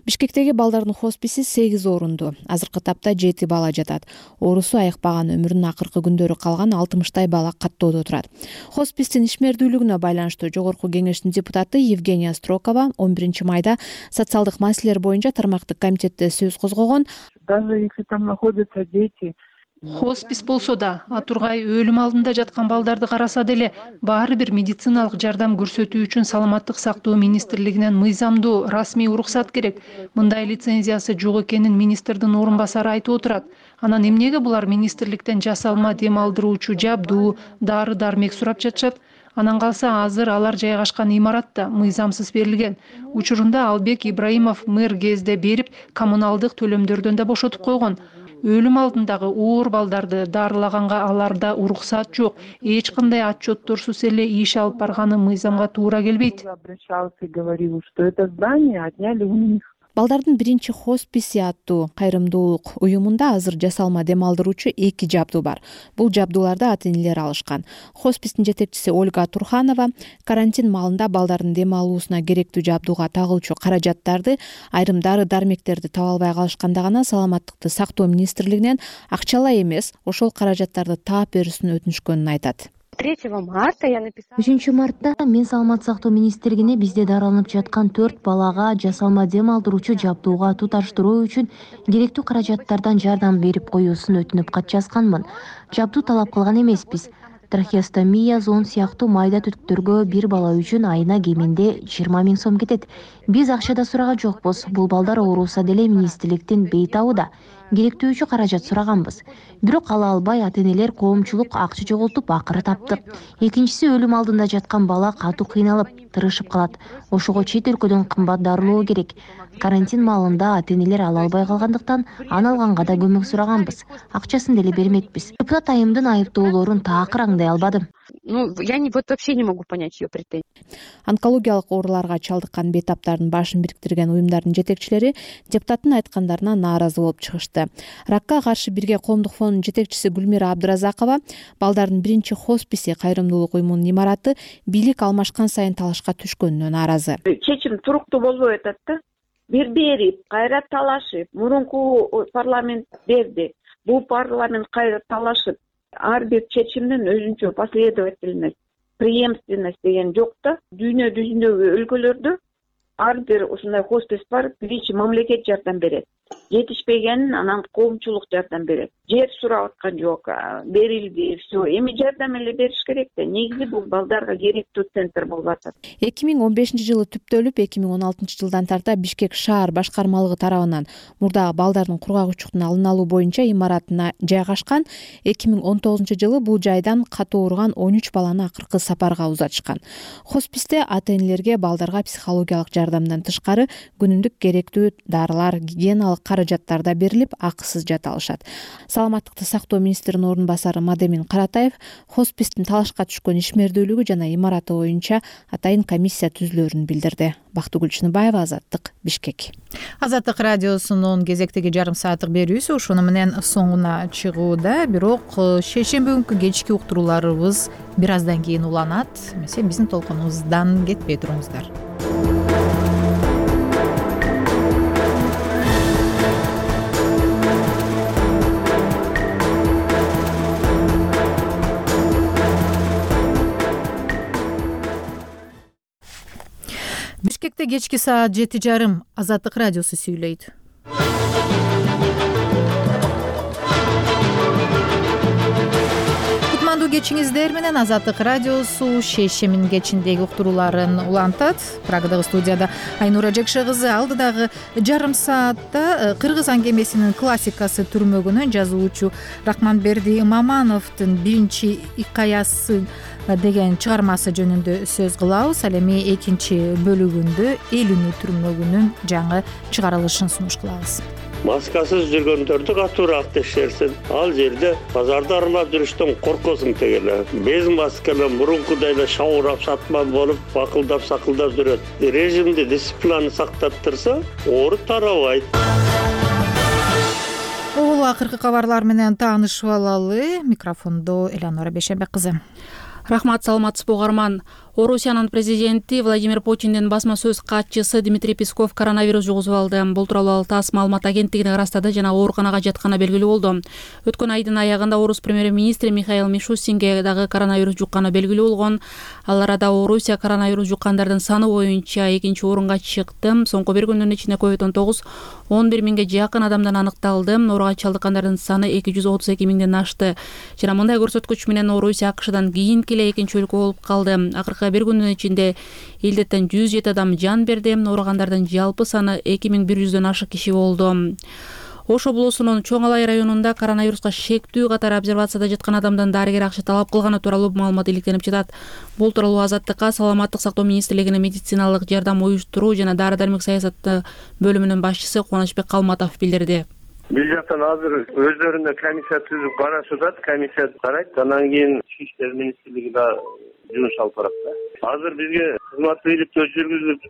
Бишкектеги балдардын хосписи сегиз орунду. Азыркы тапта жети бала жатат. Оорусу айыкпаган, өмүрүнүн акыркы күндөрү калган алтымыштай бала каттоодо турат. Хоспистин ишмердүүлүгүнө байланыштуу Жогорку Кеңештин депутаты Евгения Строкова он биринчи майда социалдык маселелер боюнча тармактык комитетте сөз козгогон. Даже если там находятся дети, хоспис болсо да, атургай өлүм алдында жаткан балдарды караса деле баары бир медициналык жардам көрсөтүү үчүн Саламаттык сактоо министрлигинен мыйзамдуу расмий уруксат керек. Мындай лицензиясы жок экенин министрдин орун басары айтып отурат. Анан эмнеге булар министрликтен жасалма дем алдыруучу жабдуу, дары дармек сурап жатышат? Анан калса азыр алар жайгашкан имаратта мыйзамсыз берилген. Учурунда Албек Ибраимов мэр кезде берип, коммуналдык төлөмдөрдөн да бошотуп койгон. Өлүм алдындагы оор балдарды дарылаганга аларда уруксат жок. Эч кандай отчетторсуз эле иш алып барганы мыйзамга туура келбейт. Балдардын биринчи хосписи аттуу кайрымдуулук уюмунда азыр жасалма дем алдыруучу эки жабдуу бар. Бул жабдууларды ата-энелер алышкан. Хоспистин жетекчиси Ольга Турханова карантин маалында балдардын дем алуусуна керектүү жабдууга тагылчу каражаттарды, айрым дары дармектерди таба албай калышканда гана Саламаттыкты сактоо министрлигинен акчалай эмес, ошол каражаттарды таап берүүсүн өтүнүшкөнүн айтат. третьего марта я написала. үчүнчү мартта мен Саламаттык сактоо министрлигине бизде дарыланып жаткан төрт балага жасалма дем алдыруучу жабдууга туташтыруу үчүн керектүү каражаттардан жардам берип коюусун өтүнүп кат жазганмын. Жабдуу талап кылган эмеспиз. Трахеостомия, зон сыяктуу майда түтүктөргө бир бала үчүн айына кеминде жыйырма миң сом кетет. Биз акча да сураган жокпуз. Бул балдар ооруса деле министрликтин бейтабыда. Керектүүчү каражат сураганбыз. Бирок ала албай ата-энелер коомчулук акча жоготуп акыры таптык. Экинчиси өлүм алдында жаткан бала катуу кыйналып, тырышып калат. Ошого чет өлкөдөн кымбат дарылоо керек. Карантин маалында ата-энелер ала албай калгандыктан аны алганга да көмөк сураганбыз. Акчасын деле бермекпиз. Депутат айымдын айыптоолорун такыр аңдай албадым. Ну, я не, вот вообще не могу понять ее претензии. Онкологиялык ооруларга чалдыккан бейтаптардын башын бириктирген уюмдардын жетекчилери депутаттын айткандарына нааразы болуп чыгышты. Ракка каршы бирге коомдук фондунун жетекчиси Гүлмира Абдыразакова балдардын биринчи хосписи кайрымдуулук уюмунун имараты бийлик алмашкан сайын талашка түшкөнүнө нааразы. Чечим туруктуу болбой атат да. Бир берип, кайра талашып, мурунку парламент берди. Бул парламент кайра талашып, ар бир чечимдин өзүнчө последовательность, преемственность деген жок да. Дүйнө жүзүндөгү өлкөлөрдө ар бир ушундай хоспис бар, биринчи мамлекет жардам берет. Жетишпегенин анан коомчулук жардам берет. Жер сурап аткан жок, берилди, все. Эми жардам эле бериш керек да. Негизи бул балдарга керектүү центр болуп атат. эки миң он бешинчи жылы түптөлүп, эки миң он алтынчы жылдан тарта Бишкек шаар башкармалыгы тарабынан мурдагы балдардын кургагычтыктын алын алуу боюнча имаратына жайгашкан. эки миң он тогузунчу жылы бул жайдан катуу ооруган он үч баланы акыркы сапарга узатышкан. Хосписте ата-энелерге балдарга психологиялык жардамдан тышкары күнүмдүк керектүү дарылар, гигиеналык каражаттар да берилип, акысыз жата алышат. саламаттыкты сактоо министринин орун басары Мадемин Каратаев хоспистин талашка түшкөн ишмердүүлүгү жана имараты боюнча атайын комиссия түзүлөөрүн билдирди. Бактыгүл Чыныбаева, Азаттык, Бишкек. Азаттык радиосунун кезектеги жарым сааттык берүүсү ушуну менен соңуна чыгууда. Бирок шейшемби күнкү кечки уктурууларыбыз бир аздан кийин уланат. Эмесе биздин толкунубуздан кетпей туруңуздар. Бишкекте кечки саат жети жарым. Азаттык радиосу сүйлөйт. Кутмандуу кечиңиздер менен Азаттык радиосу шейшембинин кечиндеги уктурууларын улантат. Прагадагы студияда Айнура Жекше кызы. Алдыдагы жарым саатта кыргыз аңгемесинин классикасы түрмөгүнөн жазуучу Рахманберди Мамановдун биринчи икаясы деген чыгармасы жөнүндө сөз кылабыз. Ал эми экинчи бөлүгүндө эл үнү түрмөгүнүн жаңы чыгарылышын сунуш кылабыз. Маскасыз жүргөндөрдү катуураак текшерсин. Ал жерде базарда аралап жүрүштөн коркосуң тегеле. Без масканы мурункудай эле шабурап сатман болуп, бакылдап сакылдап жүрөт. Режимди, дисциплинаны сактап турса, оору тарабайт. Бул акыркы кабарлар менен таанышып алалы. Микрофондо Элеонора Бейшенбек кызы. Рахмат, саламатсызбы угарман. Орусиянын президенти Владимир Путиндин басма сөз катчысы Дмитрий Песков коронавирус жугузуп алды. Бул тууралуу ТАСС маалымат агенттигине ырастады жана ооруканага жатканы белгилүү болду. Өткөн айдын аягында орус премьер-министри Михаил Мишустинге дагы коронавирус жукканы белгилүү болгон. Ал арада Орусия коронавирус жуккандардын саны боюнча экинчи орунга чыкты. Соңку бир күндүн ичинде ковид он тогуз он бир миңге жакын адамдан аныкталды. Ооруга чалдыккандардын саны эки жүз отуз эки миңден ашты. Жана мындай көрсөткүч менен Орусия АКШдан кийинки эле экинчи өлкө болуп калды. Акыркы бир күндүн ичинде илдеттен жүз жети адам жан берди. Ооругандардын жалпы саны эки миң бир жүздөн ашык киши болду. Ош облусунун Чоң Алай районунда коронавируска шектүү катары обсервацияда жаткан адамдан дарыгер акча талап кылганы тууралуу маалымат иликтенип жатат. Бул тууралуу Азаттыкка саламаттык сактоо министрлигинин медициналык жардам уюштуруу жана дары-дармек саясаты бөлүмүнүн башчысы Кубанычбек Калматов билдирди. Бул жактан азыр өздөрүнө комиссия түзүп карашат, комиссия карайт, андан кийин Ички иштер министрлиги да жумуш алып барат да. Азыр бизге кызматтуу иликтөө жүргүзүп,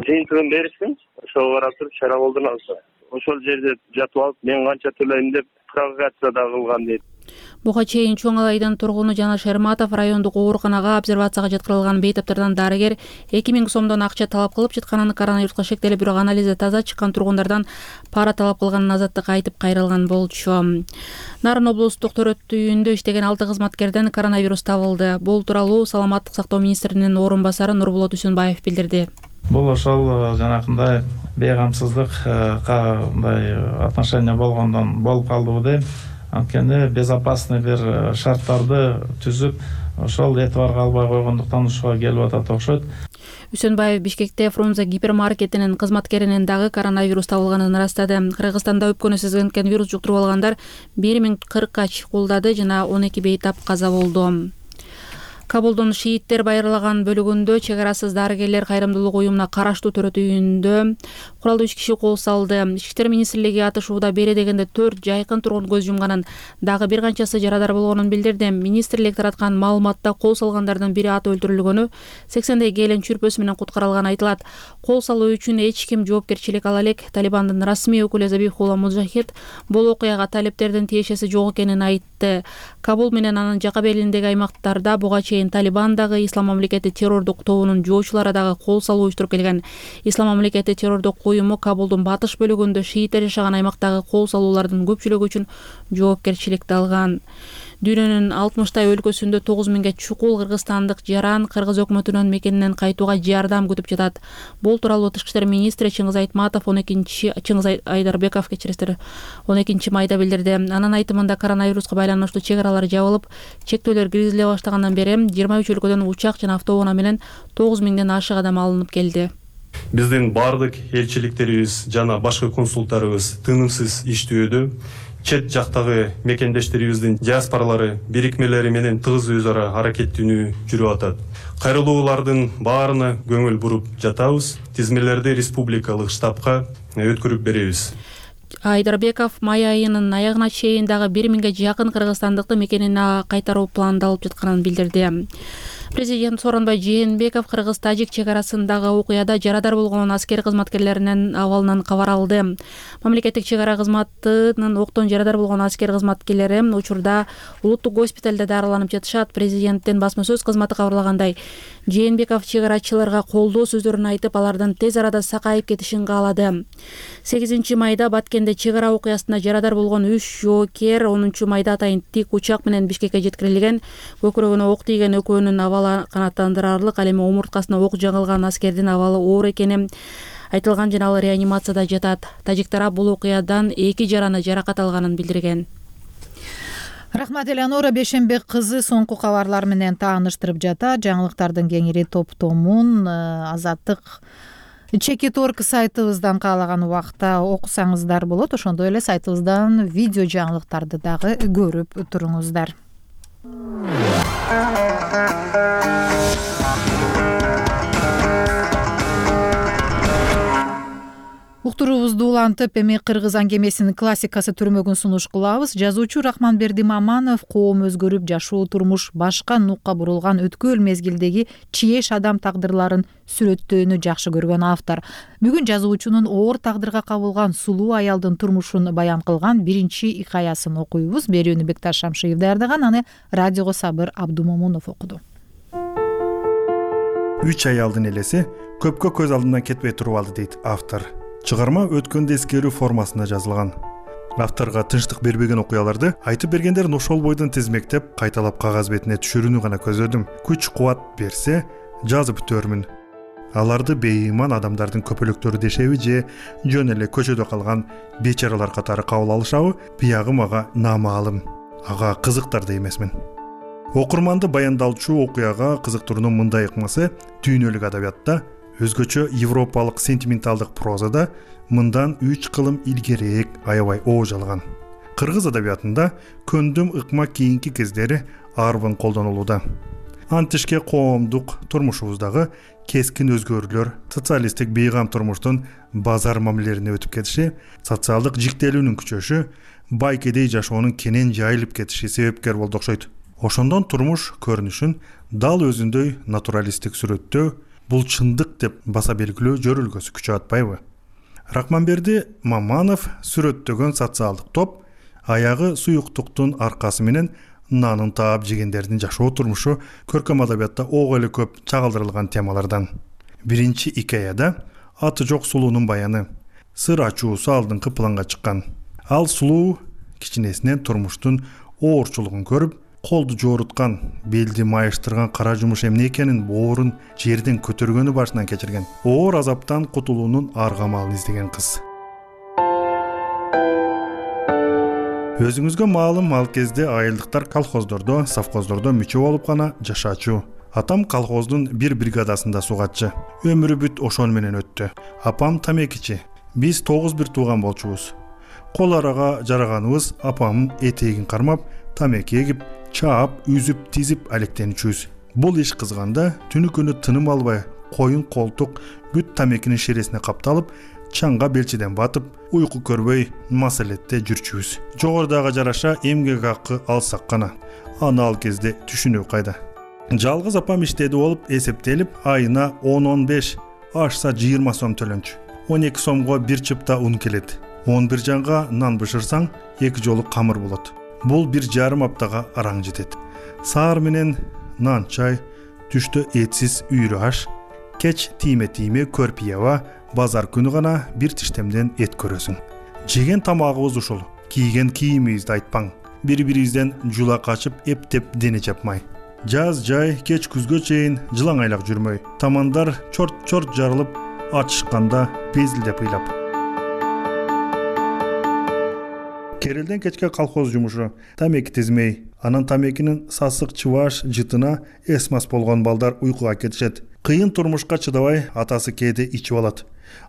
жыйынтыгын беришsin, ошого карап туруп чара колдонабыз. Ошол жерде жатып алып, мен канча төлөйм деп провокация да кылган дейт. Буга чейин Чоң Алайдын тургуну Жана Шерматов райондук ооруканага обсервацияга жаткырылган бейтаптардан дарыгер эки миң сомдон акча талап кылып жатканын, коронавируска шектелип, бирок анализи таза чыккан тургундардан пара талап кылганын Азаттыкка айтып кайрылган болчу. Нарын облустук төрөт үйүндө иштеген алты кызматкерден коронавирус табылды. Бул тууралуу саламаттык сактоо министринин орун басары Нурбулат Үсөнбаев билдирди. Бул ошол жанакындай бейгамсыздыкка мындай отношение болгондон болуп калдыбы дейм. Анткени безопасный бир шарттарды түзүп, ошол этибарга албай койгондуктан ушуга келип атат окшойт. Үсөнбаев Бишкекте Фрунзе гипермаркетинин кызматкеринин дагы коронавирус табылганын ырастады. Кыргызстанда өпкөнү сезген вирус жуктуруп алгандар бир миң кыркка чыкуулдады жана он эки бейтап каза болду. Кабулдун шииттер байырлаган бөлүгүндө чек арасыз дарыгерлер кайрымдуулук уюмуна караштуу төрөт үйүндө куралдуу үч киши кол салды. Ички иштер министрлиги атышууда бери дегенде төрт жайкын тургун көз жумганын, дагы бир канчасы жарадар болгонун билдирди. Министрлик тараткан маалыматта кол салгандардын бири аты өлтүрүлгөнү, сексендей келин чүрпөсү менен куткарылганы айтылат. Кол салуу үчүн эч ким жоопкерчилик ала элек. Талибандын расмий өкүлү Забихулла Муджахид бул окуяга талептердин тиешеси жок экенин айтты. Кабул менен анын жака белиндеги аймактарда буга Талибан дагы Ислам мамлекети террордук тобунун жоочулары дагы кол салуу уюштуруп келген. Ислам мамлекети террордук уюму Кабулдун батыш бөлүгүндө шииттер жашаган аймактагы кол салуулардын көпчүлүгү үчүн жоопкерчиликти алган. Дүйнөнүн алтымыштай өлкөсүндө тогуз миңге чукул кыргызстандык жаран кыргыз өкмөтүнүн мекенинен кайтууга жардам күтүп жатат. Бул тууралуу Тышкы иштер министри Чыңгыз Айтматов он экинчи Чыңгыз Айдарбеков кечиресиздер он экинчи майда билдирди. Анын айтымында коронавируска байланыштуу чек аралар жабылып, чектөөлөр киргизиле баштагандан бери жыйырма үч өлкөдөн учак жана автоунаа менен тогуз миңден ашык адам алынып келди. Биздин бардык элчиликтерибиз жана башкы консулдуктарыбыз тынымсыз иштөөдө. Чет жактагы мекендештерибиздин диаспоралары бирикмелери менен тыгыз өз ара аракеттенүү жүрүп атат. Кайрылуулардын баарына көңүл буруп жатабыз. Тизмелерди республикалык штабка өткөрүп беребиз. Айдарбеков май айынын аягына чейин дагы бир миңге жакын кыргызстандыкты мекенине кайтаруу пландалып жатканын билдирди. Президент Сооронбай Жээнбеков кыргыз-тажик чек арасындагы окуяда жарадар болгон аскер кызматкерлеринин абалынан кабар алды. Мамлекеттик чек ара кызматынын октон жарадар болгон аскер кызматкерлери учурда улуттук госпиталда дарыланып жатышат. Президенттин басма сөз кызматы кабарлагандай, Жээнбеков чек арачыларга колдоо сөздөрүн айтып, алардын тез арада сакайып кетишин каалады. сегизинчи майда Баткенде чек ара окуясында жарадар болгон үч жоокер онунчу майда атайын тик учак менен Бишкекке жеткирилген. Көкүрөгүнө ок тийген экөөнүн абалы канааттандырарлык, ал эми омурткасына ок жагылган аскердин абалы оор экени айтылган жана ал реанимацияда жатат. Тажик тарап бул окуядан эки жараны жаракат алганын билдирген. Рахмат Элеонора. Бешенбек кызы соңку кабарлар менен тааныштырып жатат. Жаңылыктардын кеңири топтомун Азаттык Чекит орг сайтыбыздан каалаган убакта окусаңыздар болот. Ошондой эле сайтыбыздан видео жаңылыктарды дагы көрүп туруңуздар. Уктуруубузду улантып, эми кыргыз аңгемесинин классикасы түрмөгүн сунуш кылабыз. Жазуучу Рахманберди Маманов коом өзгөрүп, жашоо турмуш башка нукка бурулган өткөл мезгилдеги чиеш адам тагдырларын сүрөттөөнү жакшы көргөн автор. Бүгүн жазуучунун оор тагдырга кабылган сулуу аялдын турмушун баян кылган биринчи икаясын окуйбуз. Берүүнү Бекташ Шамшиев даярдаган, аны радиого Сабыр Абдумомунов окуду. Үч аялдын элеси көпкө көз алдынан кетпей туруп алды дейт автор. Чыгарма өткөндү эскерүү формасында жазылган. Авторго тынчтык бербеген окуяларды айтып бергендерин ошол бойдон тизмектеп, кайталап кагаз бетине түшүрүүнү гана көзөдүм. Күч кубат берсе, жазып бүтөрмүн. Аларды бейиман адамдардын көпөлөктөрү дешеби же жөн эле көчөдө калган бечаралар катары кабыл алышабы, биягы мага наамаалым. Ага кызыктар да эмесмин. Окурманды баяндалчу окуяга кызыктыруунун мындай ыкмасы дүйнөлүк адабиятта, өзгөчө европалык сентименталдык прозада мындан үч кылым илгерээк аябай оожалган. Кыргыз адабиятында көндүм ыкма кийинки кездери арбын колдонулууда. Антишке коомдук турмушубуздагы кескин өзгөрүүлөр, социалисттик бейгам турмуштун базар мамилелерине өтүп кетиши, социалдык жиктелүүнүн күчөшү, бай кедей жашоонун кенен жайылып кетиши себепкер болду окшойт. Ошондон турмуш көрүнүшүн дал өзүндөй натуралисттик сүрөттөө, бул чындык деп баса белгилөө жөрүлгөсү күчө атпайбы? Рахманберди Маманов сүрөттөгөн социалдык топ аягы суюктуктун аркасы менен нанын таап жегендердин жашоо турмушу көркөм адабиятта ого эле көп чагылдырылган темалардан. Биринчи икаяда аты жок сулуунун баяны, сыр ачуусу алдыңкы планга чыккан. Ал сулуу кичинесинен турмуштун оорчулугун көрүп, колду жооруткан, белди майыштырган кара жумуш эмне экенин боорун жерден көтөргөнү башынан кечирген. Оор азаптан кутулуунун аргамалын издеген кыз. Өзүңүзгө маалым, ал кезде айылдыктар колхоздордо, совхоздордо мүчө болуп гана жашачу. Атам колхоздун бир бригадасында сугатчы. Өмүрү бүт ошон менен өттү. Апам тамекичи. Биз тогуз бир тууган болчубуз. Кол арага жараганыбыз апамдын этегин кармап, тамеки эгип, чаап, үзүп, тизип алектеничүбүз. Бул иш кызганда түнү күнү тыным албай, коюн колтук бүт тамекинин шересине капталып, чаңга белчеден батып, уйку көрбөй маселетте жүрчүбүз. Жогорудага жараша эмгек акы алсак гана. Аны ал кезде түшүнүү кайда. Жалгыз апам иштеди болуп эсептелип, айына он он беш, ашса жыйырма сом төлөнчү. он эки сомго бир чыпта ун келет. он бир жанга нан бышырсаң, эки жолу камыр болот. Бул бир жарым аптага араң жетет. Саар менен нан чай, түштө этсиз үйрү аш, кеч тийме-тийме көрпияба, базар күнү гана бир тиштемден эт көрөсүң. Жеген тамагыбыз ушул, кийген кийимибизди айтпаң. Бири-бирибизден жула качып, эптеп дене чапмай. Жаз жай, кеч күзгө чейин жылаңайлак жүрмөй. Тамандар чорт-чорт жарылып, ачышканда безилдеп ыйлап. Керелден кечке колхоз жумушу, тамеки тизмей, анан тамекинин сасык чыбаш жытына эс-мас болгон балдар уйкуга кетишет. Кыйын турмушка чыдабай атасы кээде ичип алат.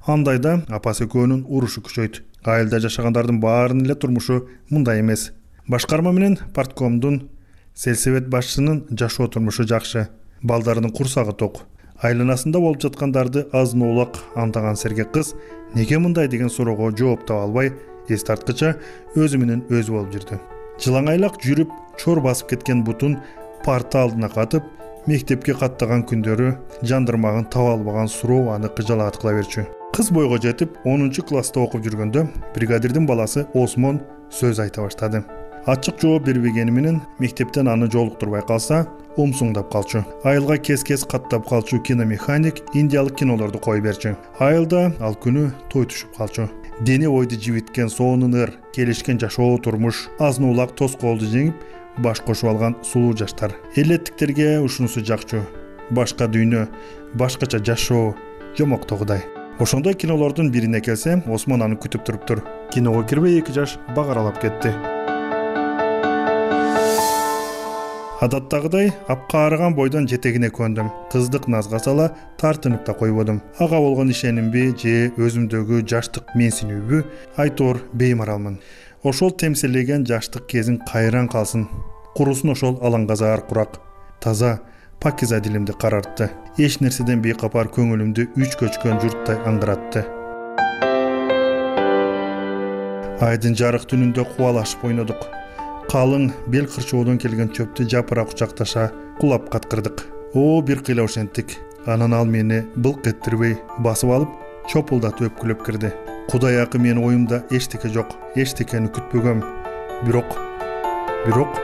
Андайда апасы экөөнүн урушу күчөйт. Айылда жашагандардын баарынын эле турмушу мындай эмес. Башкарма менен парткомдун, сельсовет башчысынын жашоо турмушу жакшы. Балдарынын курсагы ток. Айланасында болуп жаткандарды азын улак андаган сергек кыз неге мындай деген суроого жооп таба албай, эс тарткыча өзү менен өзү болуп жүрдү. Жылаңайлак жүрүп чор басып кеткен бутун парта алдына катып, мектепке каттаган күндөрү жандырмагын таба албаган суроо аны кыжалаат кыла берчү. Кыз бойго жетип онунчу класста окуп жүргөндө бригадирдин баласы Осмон сөз айта баштады. Ачык жооп бербегени менен мектептен аны жолуктурбай калса, умсуңдап калчу. Айылга кес-кес каттап калчу киномеханик индиялык кинолорду кой берчү. Айылда ал күнү той түшүп калчу. Дене бойду жибиткен сонун ыр, келишкен жашоо турмуш, азын улак тоскоолду жеңип, баш кошуп алган сулуу жаштар. Элеттиктерге ушунусу жакчу. Башка дүйнө, башкача жашоо, жомоктогудай. Ошондой кинолордун бирине келсе, Осмон аны күтүп туруптур. Киного кирбей эки жаш багаралап кетти. Адаттагыдай апкаарыган бойдон жетегине көндүм. Кыздык назга сала тартынып да койбодум. Ага болгон ишенимби же өзүмдөгү жаштык менсинүүбү айтор беймаралмын. Ошол темселеген жаштык кезин кайран калсын. Курусун ошол алаңгазаар курак. Таза, пакиза дилимди карартты. Эч нерседен бейкапар көңүлүмдү үч көчкөн журттай аңгыратты. Айдын жарык түнүндө кубалашып ойнодук. Калың бел кырчоодон келген чөптү жапыра кучакташа кулап каткырдык. О, бир кыйла ошентик. Анан ал мени былк эттирбей басып алып, чопулдатып өпкүлөп кирди. Кудай акы, менин оюмда эчтеке жок, эчтекени күтпөгөм. Бирок, бирок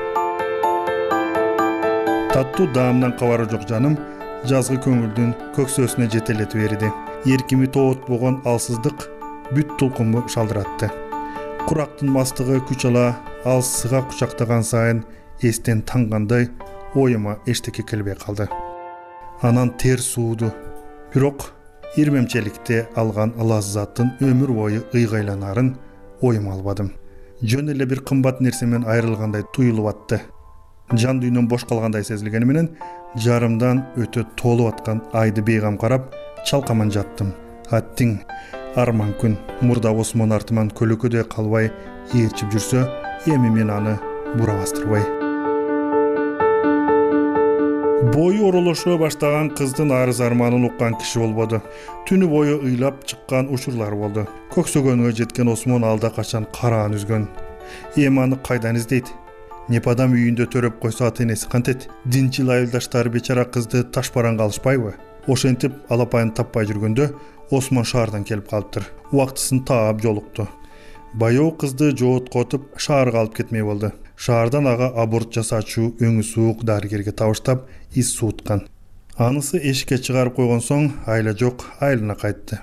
таттуу даамдан кабары жок жаным жазгы көңүлдүн көксөөсүнө жетелетип берди. Эркими тоотпогон алсыздык бүт тулкумду шалдыратты. Курактын мастыгы күч ала ал сыга кучактаган сайын эстен тангандай оюма эчтеке келбей калды. Анан тер сууду. Бирок ирмемчеликте алган лаззаттын өмүр бою ыйгайланарын оюма албадым. Жөн эле бир кымбат нерсе менен айрылгандай туюлуп атты. Жан дүйнөм бош калгандай сезилгени менен жарымдан өтө толуп аткан айды бейгам карап чалкаман жаттым. Аттиң арман күн мурда Осмон артыман көлөкөдөй калбай ээрчип жүрсө, эми мен аны бура бастырбай. Бою оролошо баштаган кыздын арыз арманын уккан киши болбоду. Түнү бою ыйлап чыккан учурлар болду. Көксөгөнгө жеткен Осмон алда качан караан үзгөн. Эми аны кайдан издейт? Непадам үйүндө төрөп койсо ата энеси кантет? Динчил айылдаштары бечара кызды ташбаран калышпайбы? Ошентип алапайын таппай жүргөндө Осмон шаардан келип калыптыр. Убактысын таап жолукту. Баяу кызды жооткотуп шаарга алып кетмей болду. Шаардан ага аборт жасаачу өңү суук дарыгерге табыштап из сууткан. Анысы эшикке чыгарып койгон соң айла жок, айылына кайтты.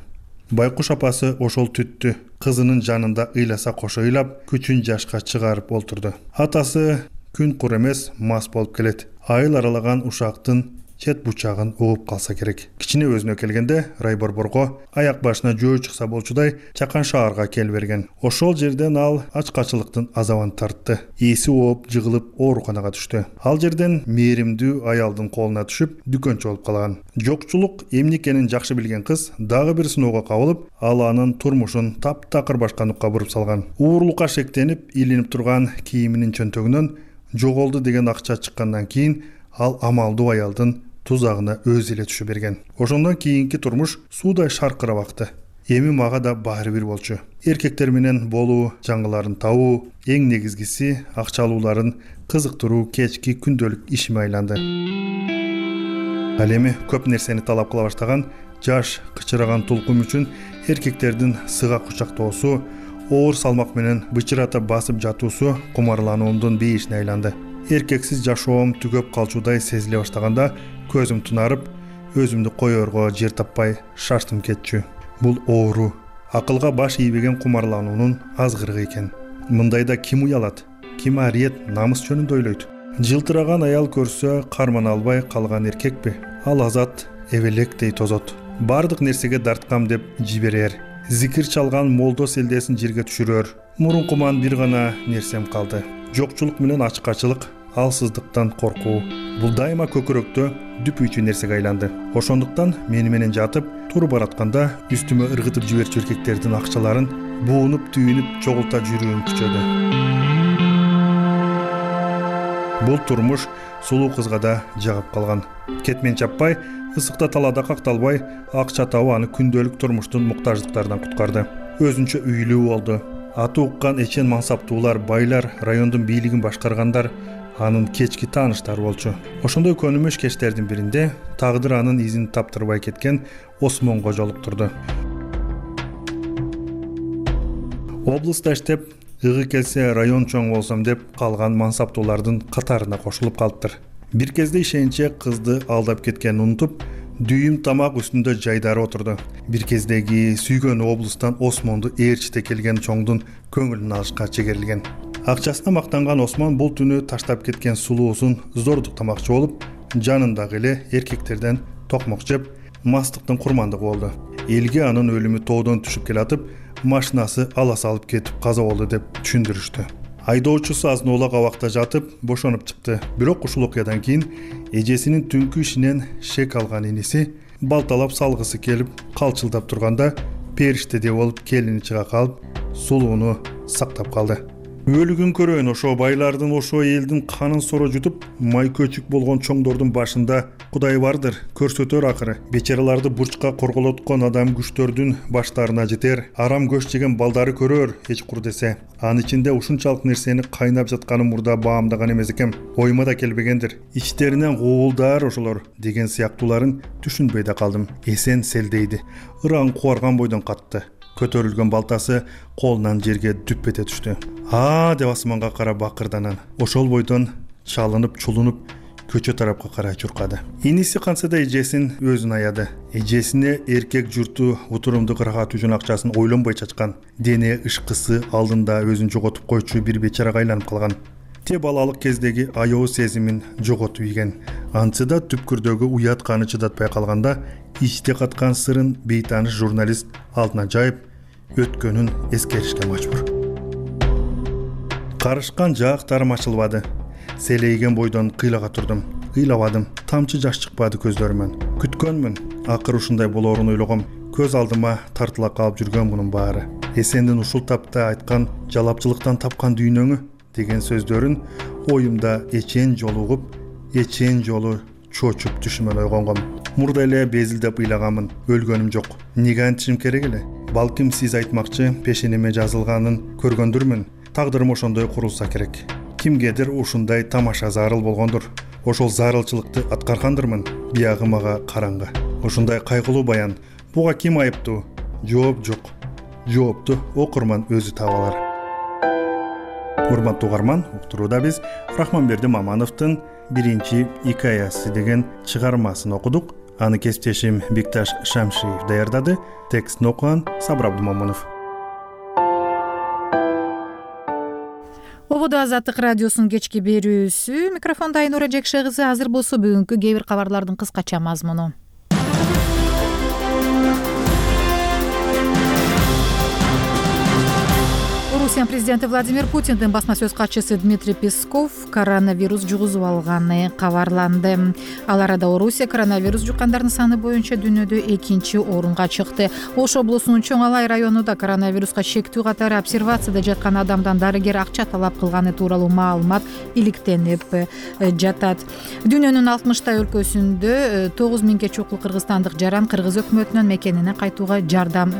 Байкуш апасы ошол түттү. Кызынын жанында ыйласа кошо ыйлап, күчүн жашка чыгарып олтурду. Атасы күн кур эмес, мас болуп келет. Айыл аралаган ушактын чет бучагын угуп калса керек. Кичине өзүнө келгенде Райборборго аяк башына жөө чыкса болчудай чакан шаарга кел берген. Ошол жерден ал ачкачылыктын азабын тартты. Эси ооп, жыгылып ооруканага түштү. Ал жерден мээримдүү аялдын колуна түшүп, дүкөнчү болуп калган. Жокчулук эмне экенин жакшы билген кыз дагы бир сыноого кабылып, ал анын турмушун таптакыр башка нукка буруп салган. Уурлукка шектенип, илинип турган кийиминин чөнтөгүнөн жоголду деген акча чыккандан кийин ал амалдуу аялдын тузагына өзү эле түшө берген. Ошондон кийинки турмуш суудай шаркырап акты. Эми мага да баары бир болчу. Эркектер менен болуу, жаңыларын табуу, эң негизгиси акчалууларын кызыктыруу кечки күндөлүк ишиме айланды. Ал эми көп нерсени талап кыла баштаган жаш кычыраган тулкум үчүн эркектердин сыга кучактоосу, оор салмак менен бычырата басып жатуусу кумарлануумдун бейишине айланды. Эркексиз жашоом түгөп калчудай сезиле баштаганда көзүм тунарып, өзүмдү коерго жер таппай шаштым кетчү. Бул оору, акылга баш ийбеген кумарлануунун азгырыгы экен. Мындайда ким уялат, ким ариет, намыс жөнүндө ойлойт? Жылтыраган аял көрсө кармана албай калган эркекпи? Ал азат эбелектей тозот. Бардык нерсеге дарткам деп жиберер. Зикир чалган молдо селдесин жерге түшүрөр. Мурункуман бир гана нерсем калды. Жокчулук менен ачкачылык, алсыздыктан коркуу. Бул дайыма көкүрөктө дүпүйчү нерсеге айланды. Ошондуктан мени менен жатып, туруп баратканда үстүмө ыргытып жиберчү эркектердин акчаларын буунуп, түйүнүп, чогулта жүрүүм күчөдү. Бул турмуш сулуу кызга да жагып калган. Кетмен чаппай, ысыкта талаада какталбай, акча табуу аны күндөлүк турмуштун муктаждыктарынан куткарды. Өзүнчө үйлүү болду. аты уккан эчен мансаптуулар, байлар, райондун бийлигин башкаргандар анын кечки тааныштары болчу. Ошондой көнүмүш кечтердин биринде тагдыр анын изин таптырбай кеткен Осмонго жолуктурду. Облуста иштеп, ыгы келсе район чоң болсом деп калган мансаптуулардын катарына кошулуп калыптыр. Бир кезде ишенче кызды алдап кеткенин унутуп, дүйүм тамак үстүндө жайдары отурду. Бир кездеги сүйгөн облустан Осмонду ээрчите келген чоңдун көңүлүн алышка чегерилген. Акчасына мактанган Осмон бул түнү таштап кеткен сулуусун зордуктамакчы болуп, жанындагы эле эркектерден токмок жеп, мастыктын курмандыгы болду. Элге анын өлүмү тоодон түшүп келатып, машинасы ала салып кетип каза болду деп түшүндүрүштү. Айдоочусу азын-оолак абакта жатып, бошонуп чыкты. Бирок ушул окуядан кийин эжесинин түнкү ишинен шек алган иниси балталап салгысы келип, калчылдап турганда периштедей болуп келини чыга калып, сулууну сактап калды. Өлүгүн көрөйүн, ошо байлардын, ошо элдин канын соро жутуп, май көчүк болгон чоңдордун башында Кудай бардыр, көрсөтөр акыры. Бечараларды бурчка корголоткон адам күчтөрдүн баштарына жетер, арам көч жеген балдары көрөр, эч кур десе. Анын ичинде ушунчалык нерсени кайнап жатканын мурда баамдаган эмес экем. Оюма да келбегендир. Ичтеринен гуулдар ошолор деген сыяктууларын түшүнбөй да калдым. Эсен селдейди. Ыран куарган бойдон катты. Көтөрүлгөн балтасы колунан жерге дүп эте түштү. А деп асманга карап бакырданан, ошол бойдон чалынып, чулунуп, көчө тарапка карай чуркады. Иниси кантса да эжесин өзүн аяды. Эжесине эркек журту утурумду кыргат үчүн акчасын ойлонбой чачкан. Дене ышкысы алдында өзүн жоготуп койчу бир бечарага айланып калган. Те балалык кездеги аябуу сезимин жоготуп ийген. Антсы да түпкүрдөгү уят каны чыдатпай калганда, ичте каткан сырын бейтаныш журналист алдына жайып, өткөнүн эскеришке мажбур. Карышкан жаактарым ачылбады. Селейген бойдон кыйлага турдум. Кыйлабадым. Тамчы жаш чыкпады көздөрүмөн. Күткөнмүн. Акыр ушундай болоорун ойлогом. Көз алдыма тартыла калып жүргөн мунун баары. Эсендин ушул тапта айткан жалапчылыктан тапкан дүйнөңү деген сөздөрүн оюмда эчен жолу угуп, эчен жолу чочуп түшүмөн ойгонгом. Мурда эле безилдеп ыйлаганмын. Өлгөнүм жок. Неге антишим керек эле? Балким сиз айтмакчы пешенеме жазылганын көргөндүрмүн. Тагдырым ошондой курулса керек. Кимгедир ушундай тамаша зарыл болгондур. Ошол зарылчылыкты аткаргандырмын. Биягы мага караңгы. Ушундай кайгылуу баян. Буга ким айыптуу? Жооп жок. Жоопту окурман өзү таба алар. Урматтуу угарман, уктурууда биз Рахманберди Мамановдун биринчи икаясы деген чыгармасын окудук. Аны кесиптешим Бикташ Шамшиев даярдады. Текстин окуган Сабыр Абдумомунов. Ободо Азаттык радиосунун кечки берүүсү. Микрофондо Айнура Жекше кызы. Азыр болсо бүгүнкү кээ бир кабарлардын кыскача мазмуну. Орусия президенти Владимир Путиндин басма сөз катчысы Дмитрий Песков коронавирус жугузуп алганы кабарланды. Ал арада Орусия коронавирус жуккандардын саны боюнча дүйнөдө экинчи орунга чыкты. Ош облусунун Чоң Алай районунда коронавируска шектүү катары обсервацияда жаткан адамдан дарыгер акча талап кылганы тууралуу маалымат иликтенип жатат. Дүйнөнүн алтымыштай өлкөсүндө тогуз миңге чукул кыргызстандык жаран кыргыз өкмөтүнөн мекенине кайтууга жардам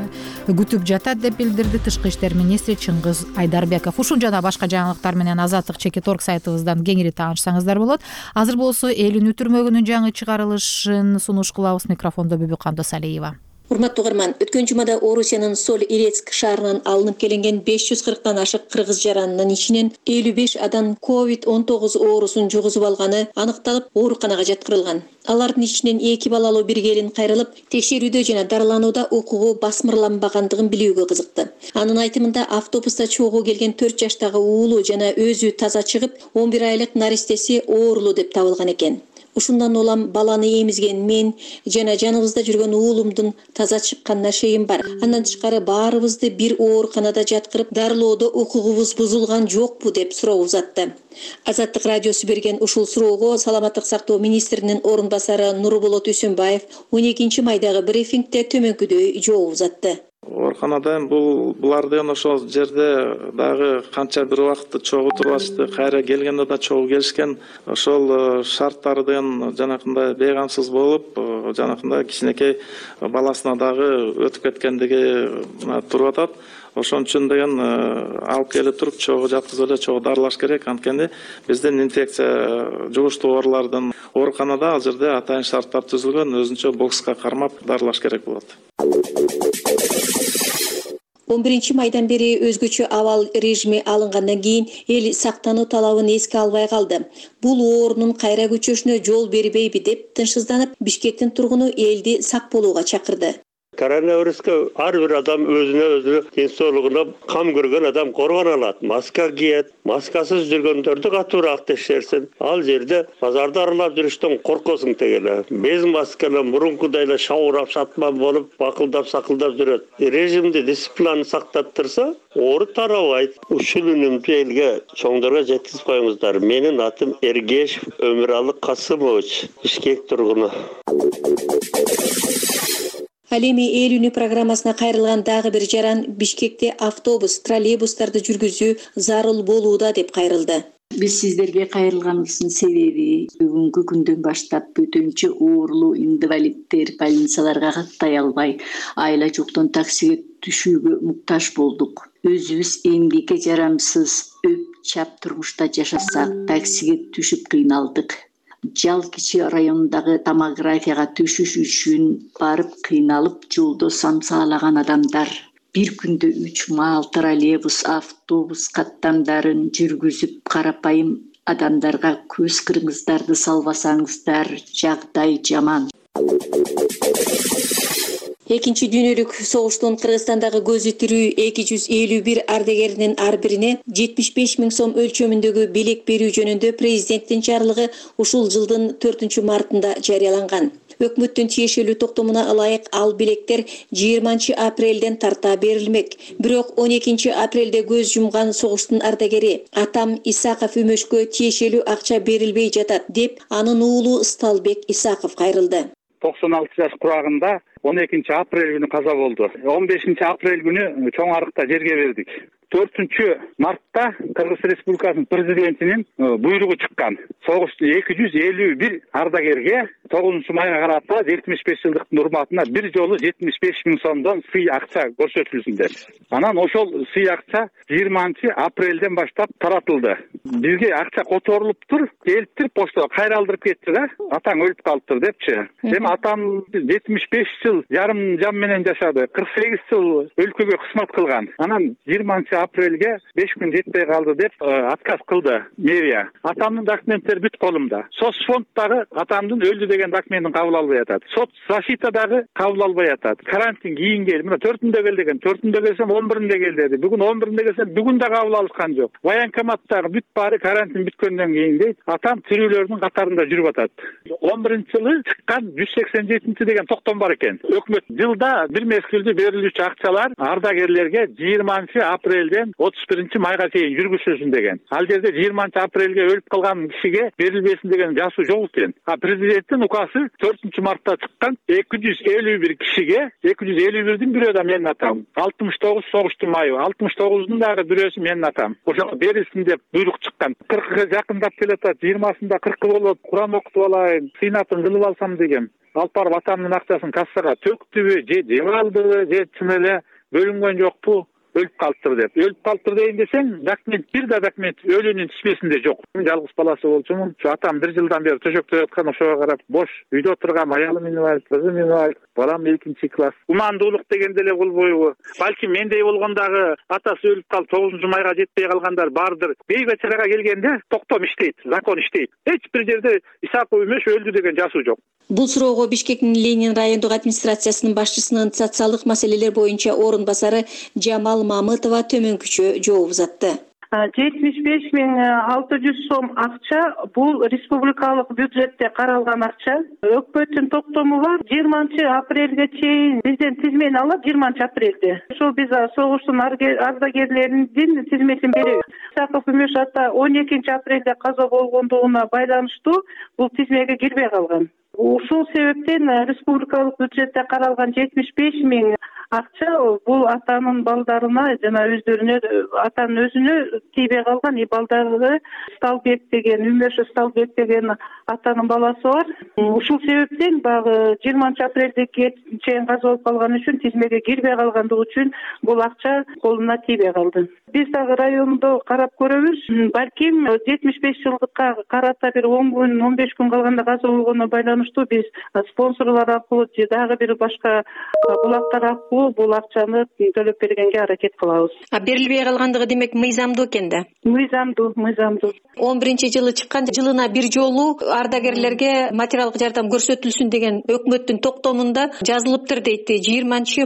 күтүп жатат деп билдирди Тышкы иштер министри Чыңгыз Айдарбеков. Ушул жана башка жаңылыктар менен Азаттык чекит орг сайтыбыздан кеңири таанышсаңыздар болот. Азыр болсо эл үнү түрмөгүнүн жаңы чыгарылышын сунуш кылабыз. Микрофондо Бүбү Кандосалиева. Урматтуу угарман, өткөн жумада Орусиянын Соль-Илецк шаарынан алынып келинген беш жүз кырктан ашык кыргыз жаранынын ичинен элүү беш адам ковид он тогуз оорусун жугузуп алганы аныкталып, ооруканага жаткырылган. Алардын ичинен эки балалуу бир келин кайрылып, текшерүүдө жана дарыланууда укугу басмырланбагандыгын билүүгө кызыкты. Анын айтымында автобуста чогуу келген төрт жаштагы уулу жана өзү таза чыгып, он бир айлык наристеси оорулуу деп табылган экен. Ушундан улам баланы эмизген мен жана жаныбызда жүргөн уулумдун таза чыкканына шейим бар. Андан тышкары баарыбызды бир ооруканада жаткырып, дарылоодо укугубуз бузулган жокпу деп суроо узатты. Азаттык радиосу берген ушул суроого саламаттык сактоо министринин орун басары Нурболот Үсөнбаев он экинчи майдагы брифингде төмөнкүдөй жооп узатты. Ооруканада бул булардын ошол жерде дагы канча бир убакытты чогуу турбашты, кайра келгенде да чогуу келишкен. Ошол шарттардын жанакындай бейгамсыз болуп, жанакындай кичинекей баласына дагы өтүп кеткендиги туруп атат. ошон үчүн деген алып келе туруп чогуу жаткызып эле чогуу дарылаш керек. Анткени биздин инфекция жугуштуу оорулардын ооруканада ал жерде атайын шарттар түзүлгөн, өзүнчө бокска кармап дарылаш керек болот. он биринчи майдан бери өзгөчө абал режими алынгандан кийин эл сактануу талабын эске албай калды. Бул оорунун кайра көчөшүнө жол бербейби деп тынчсызданып, Бишкектин тургуну элди сак болууга чакырды. Коронавируска ар бир адам өзүнө өзү ден соолугуна кам көргөн адам коргоно алат. Маска кийет, маскасыз жүргөндөрдү катуураак текшерсин. Ал жерде базарды аралап жүрүштөн коркосуң тегеле. Без масканы мурункудай эле шабурап шатман болуп, бакылдап сакылдап жүрөт. Режимди, дисциплинаны сактап турса, оору тарабайт. Ушул үнүмдү элге, чоңдорго жеткизип коюңуздар. Менин атым Эргешев Өмүралы Касымович, Бишкек тургуну. Ал эми эл үнү программасына кайрылган дагы бир жаран Бишкекте автобус, троллейбустарды жүргүзүү зарыл болууда деп кайрылды. Биз сиздерге кайрылганыбыздын себеби бүгүнкү күндөн баштап бөтөнчө оорулуу инвалидтер больницаларга каттай албай, айла жоктон таксиге түшүүгө муктаж болдук. Өзүбүз эмгекке жарамсыз, өп чап турмушта жашасак, таксиге түшүп кыйналдык. Жал кичи райондагы томографияга түшүш үчүн барып кыйналып жолдо самсаалаган адамдар бир күндө үч маал троллейбус, автобус каттамдарын жүргүзүп карапайым адамдарга көз кырыңыздарды салбасаңыздар, жагдай жаман. Экинчи дүйнөлүк согуштун Кыргызстандагы көзү тирүү эки жүз элүү бир ардагеринин ар бирине жетимиш беш миң сом өлчөмүндөгү белек берүү жөнүндө президенттин жарлыгы ушул жылдын төртүнчү мартында жарыяланган. Өкмөттүн тиешелүү токтомуна ылайык ал белектер жыйырманчы апрелден тарта берилмек. Бирок он экинчи апрелде көз жумган согуштун ардагери Атам Исаков Өмөшкө тиешелүү акча берилбей жатат деп анын уулу Ысталбек Исаков кайрылды. токсон алты жаш курагында он экинчи апрель күнү каза болду. он бешинчи апрель күнү чоң арыкта жерге бердик. төртүнчү мартта Кыргыз Республикасынын президентинин буйругу чыккан. Согушту эки жүз элүү бир ардагерге тогузунчу майга карата жетимиш беш жылдыктын урматына бир жолу жетимиш беш миң сомдон сый акча көрсөтүлсүн деп. Анан ошол сый акча жыйырманчы апрелден баштап таратылды. Бизге акча которулуптур, келиптир поштага кайра алдырып кетти да. Атаң өлүп калыптыр депчи. Эми атам жетимиш беш жыл жарым жан менен жашады. кырк сегиз жыл өлкөгө кызмат кылган. Анан жыйырманчы апрелге беш күн жетпей калды деп отказ кылды мэрия. Атамдын документтери бүт колумда. Соцфонд дагы атамдын өлдү деген документин кабыл албай атат. Соц защита дагы кабыл албай атат. Карантин кийин кел. Мына төртүндө кел деген, төртүндө келсем он биринде кел деди. Бүгүн он биринде келсем бүгүн да кабыл алышкан жок. Военкоматтагы бүт баары карантин бүткөндөн кийин дейт. Атам тирүүлөрдүн катарында жүрүп атат. он биринчи жылы чыккан жүз сексен жетинчи деген токтом бар экен. Өкмөт жылда бир мезгилде берилүүчү акчалар ардагерлерге жыйырманчы апрелден отуз биринчи майга чейин жүргүзүлсүн деген. Ал жерде жыйырманчы апрелге өлүп калган кишиге берилбесин деген жазуу жок экен. А президенттин указы төртүнчү мартта чыккан эки жүз элүү бир кишиге, эки жүз элүү бирдин бирөө да менин атам. алтымыш тогуз согуштун майы, алтымыш тогуздун дагы бирөөсү менин атам. Ошого берилсин деп буйрук чыккан. кыркка жакындап келатат, жыйырмасында кыркы болот, Куран окутуп алайын, сыйнатын кылып алсам деген. Алып барып атамдын акчасын кассага төктүбү, же жеп алдыбы, же чын эле бөлүнгөн жокпу? Өлүп калыптыр деп. Өлүп калыптыр дейин десең, документ бир да документ өлүүнүн тизмесинде жок. Жалгыз баласы болчумун. Ушу атам бир жылдан бери төшөктө яткан, ошого карап бош үйдө отургам, аялым инвалид, кызым инвалид, балам экинчи класс. Умандуулук дегенде эле болбойбу? Балким мендей болгондагы атасы өлүп калып тогузунчу майга жетпей калгандар бардыр. Бейбечарага келгенде токтом иштейт, закон иштейт. Эч бир жерде Исаков Өмөш өлдү деген жазуу жок. Бул суроого Бишкектин Ленин райондук администрациясынын башчысынын социалдык маселелер боюнча орун басары Жамал Мамытова төмөнкүчө жооп узатты. жетимиш беш миң алты жүз сом акча бул республикалык бюджетте каралган акча. Өкмөттүн токтому бар. жыйырманчы апрелге чейин бизден тизмени алат, жыйырманчы апрелде. Ошол биз согуштун ардагерлеринин тизмесин беребиз. Исаков Өмөш ата он экинчи апрелде каза болгондугуна байланыштуу бул тизмеге кирбей калган. Ушул себептен республикалык бюджетте каралган жетимиш беш миң акча бул атанын балдарына жана өздөрүнө, атанын өзүнө тийбей калган. И балдары Сталбек деген, Үмөшев Сталбек деген атанын баласы бар. Ушул себептен баягы жыйырманчы апрелде чейин каза болуп калган үчүн, тизмеге кирбей калгандыгы үчүн бул акча колуна тийбей калды. Биз дагы райондо карап көрөбүз. Балким жетимиш беш жылдыкка карата бир он күн, он беш күн калганда каза болгонуна байланыштуу биз спонсорлор аркылуу же дагы бир башка булактар аркылуу бул акчаны төлөп бергенге аракет кылабыз. А берилбей калгандыгы демек мыйзамдуу экен да? Мыйзамдуу, мыйзамдуу. он биринчи жылы чыккан жылына бир жолу ардагерлерге материалдык жардам көрсөтүлсүн деген өкмөттүн токтомунда жазылыптыр дейт. жыйырманчы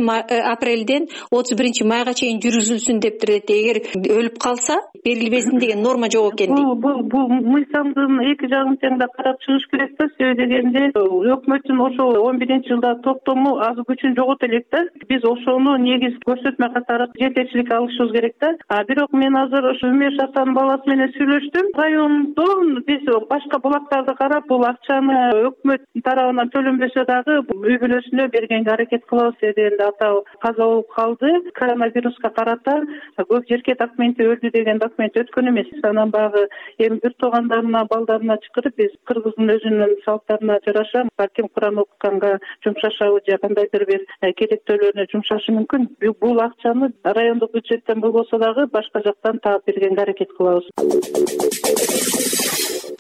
апрелден отуз биринчи майга чейин жүргүзүлсүн дептир дейт. Эгер өлүп калса берилбесин деген норма жок экен дейт. Бул бул мыйзамдын эки жагын тең да карап чыгыш керек да. Себеби дегенде өкмөттүн ошол он биринчи жылда токтому аз күчүн жогот элек да. Биз ошону негиз көрсөтмө катары жетекчилик алышыбыз керек да. А бирок мен азыр ошо Үмөш атанын баласы менен сүйлөштүм. Райондон биз башка булактарды карап бул акчаны өкмөт тарабынан төлөнбөсө дагы үй бүлөсүнө бергенге аракет кылабыз дегенде ата каза болуп калды. Коронавируска карата көп жерге документи өлдү деген документ өткөн эмес. Анан баягы эми бир туугандарына, балдарына чакырып биз кыргыздын өзүнүн салттарына жараша балким Куран окутканга жумшашабы же кандайдыр бир керектөөлөрүнө жумшашы мүмкүн. Бул акчаны райондук бюджеттен болбосо дагы башка жактан таап бергенге аракет кылабыз.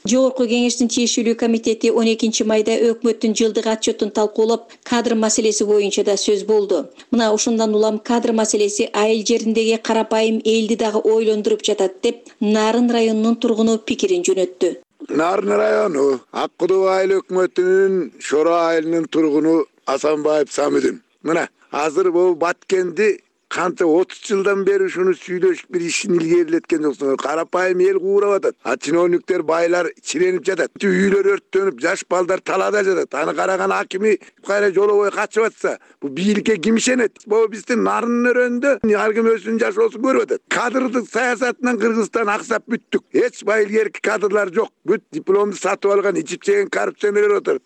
Жогорку кеңештин тиешелүү комитети он экинчи майда өкмөттүн жылдык отчетун талкуулап, кадр маселеси боюнча да сөз болду. Мына ушундан улам кадр маселеси айыл жериндеги карапайым элди дагы ойлондуруп жатат деп Нарын районунун тургуну пикирин жөнөттү. Нарын району Ак Кудуу айыл өкмөтүнүн Шоро айылынын тургуну Асанбаев Самидин. Мына азыр бул Баткенди канча отуз жылдан бери ушуну сүйлөшүп бир ишин илгерилеткен жоксуңар. Карапайым эл куурап атат. А чиновниктер байлар чиренип жатат. Үйлөр өрттөнүп, жаш балдар талаада жатат. Аны караган акими кайра жолобой качып атса, бул бийликке ким ишенет? Бул биздин Нарын өрөндө ар ким өзүнүн жашоосун көрүп атат. Кадрдык саясатынан Кыргызстан аксап бүттүк. Эч байылгерки кадрлар жок. Бүт дипломду сатып алган, ичип жеген коррупционерлер отурат.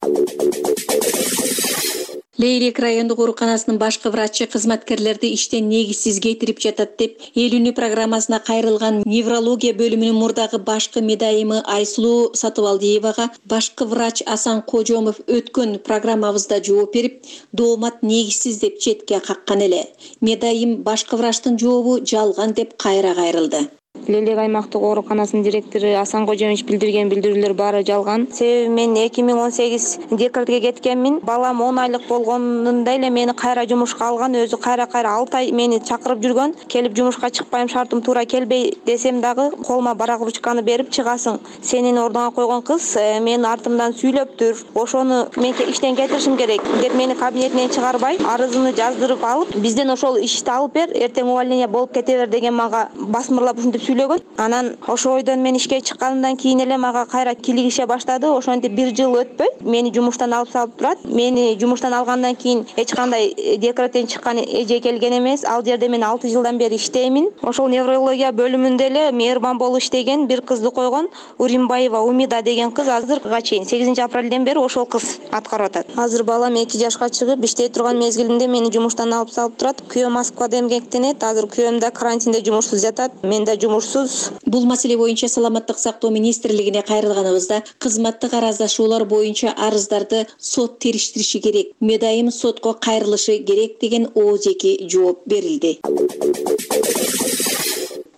Лейрек райондук ооруканасынын башкы врачы кызматкерлерди иштен негизсиз кетирип жатат деп эл үнү программасына кайрылган неврология бөлүмүнүн мурдагы башкы медайымы Айсулуу Сатыбалдиевага башкы врач Асан Кожомов өткөн программабызда жооп берип, доомат негизсиз деп четке каккан эле. Медайым башкы врачтын жообу жалган деп кайра кайрылды. Лелек аймактык ооруканасынын директору Асан Кожомович билдирген билдирүүлөр баары жалган. Себеби мен эки миң он сегиз декретке кеткенмин. Балам он айлык болгонунда эле мени кайра жумушка алган, өзү кайра-кайра алты ай мени чакырып жүргөн. Келип жумушка чыкпайм, шартым туура келбей десем дагы колума барак ручканы берип чыгасың. Сенин ордуңа койгон кыз менин артымдан сүйлөптүр. Ошону мен иштен кетиришим керек деп мени кабинетинен чыгарбай, арызымды жаздырып алып, бизден ошол ишти алып бер, эртең увольнение болуп кете бер деген мага басмырлап ушинтип сүйлөгөн. Анан ошо ойдон мен ишке чыкканымдан кийин эле мага кайра килигише баштады. Ошентип бир жыл өтпөй мени жумуштан алып салып турат. Мени жумуштан алгандан кийин эч кандай декреттен чыккан эже келген эмес. Ал жерде мен алты жылдан бери иштеймин. Ошол неврология бөлүмүндө эле мээрбан болуп иштеген бир кызды койгон, Уримбаева Умида деген кыз азыркыга чейин сегизинчи апрелден бери ошол кыз аткарып атат. Азыр балам эки жашка чыгып иштей турган мезгилинде мени жумуштан алып салып турат. Күйөөм Москвада эмгектенет. Азыр күйөөм да карантинде жумушсуз жатат. Мен да жумушсуз. Бул маселе боюнча Саламаттык сактоо министрлигине кайрылганыбызда кызматтык араздашуулар боюнча арыздарды сот териштириши керек, медайым сотко кайрылышы керек деген оозеки жооп берилди.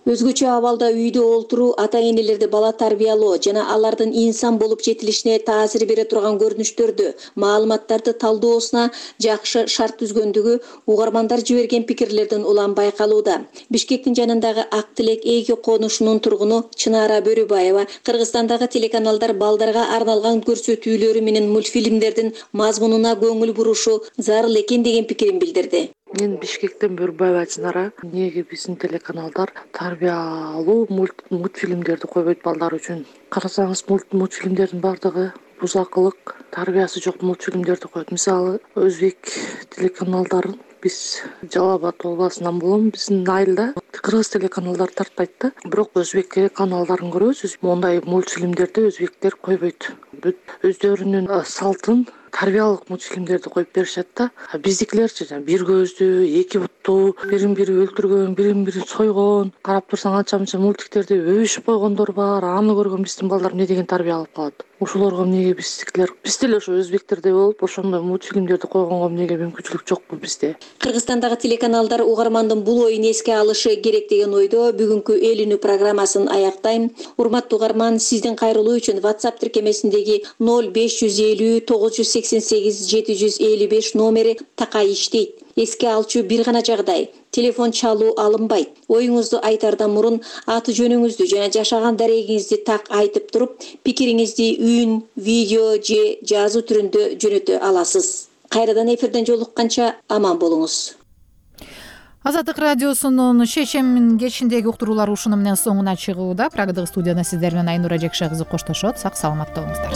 Өзгөчө абалда үйдө олтуруу ата-энелерди бала тарбиялоо жана алардын инсан болуп жетилишине таасир бере турган көрүнүштөрдү, маалыматтарды талдоосуна жакшы шарт түзгөндүгү угармандар жиберген пикирлерден улам байкалууда. Бишкектин жанындагы Ак Тилек эки конушунун тургуну Чынара Бөрүбаева Кыргызстандагы телеканалдар балдарга арналган көрсөтүүлөрү менен мультфильмдердин мазмунуна көңүл бурушу зарыл экен деген пикирин билдирди. Мен Бишкектен Бөрүбаева Чынара. Неге биздин телеканалдар тарбиялуу мультфильмдерди койбойт балдар үчүн? Карасаңыз, мультфильмдердин бардыгы бузакылык, тарбиясы жок мультфильмдерди коет. Мисалы, өзбек телеканалдарын биз Жалал Абад областынан болом, биздин айылда кыргыз телеканалдар тартпайт да. Бирок өзбек телеканалдарын көрөбүз. Мондай мультфильмдерди өзбектер койбойт. Бүт өздөрүнүн салтын тарбиялык мультфильмдерди коюп беришет да. Биздикилерчи бир көздүү, эки буттуу, бирин бири өлтүргөн, бирин бири сойгон, карап турсаң анча мынча мультиктерди өбүшүп койгондор бар. Аны көргөн биздин балдар эмне деген тарбия алып калат. Ошолорго эмнеге биздикилер биз деле ошо өзбектердей болуп ошондой мультфильмдерди койгонго эмнеге мүмкүнчүлүк жокпу бизде? Кыргызстандагы телеканалдар угармандын бул оюн эске алышы керек деген ойдо бүгүнкү эл үнү программасын аяктайм. Урматтуу угарман, сиздин кайрылуу үчүн WhatsApp тиркемесиндеги ноль беш жүз элүү тогуз жүз сексен сегиз жети жүз элүү беш номери такай иштейт. Эске алчу бир гана жагдай: телефон чалуу алынбайт. Оюңузду айтардан мурун аты жөнүңүздү жана жашаган дарегиңизди так айтып туруп, пикириңизди үн, видео же жазуу түрүндө жөнөтө аласыз. Кайрадан эфирден жолукканча аман болуңуз. Азаттык радиосунун шешем кечиндеги уктуруулар ушуну менен соңуна чыгууда. Прагадагы студияда сиздер менен Айнура Жекше кызы коштошот. Сак саламатта болуңуздар.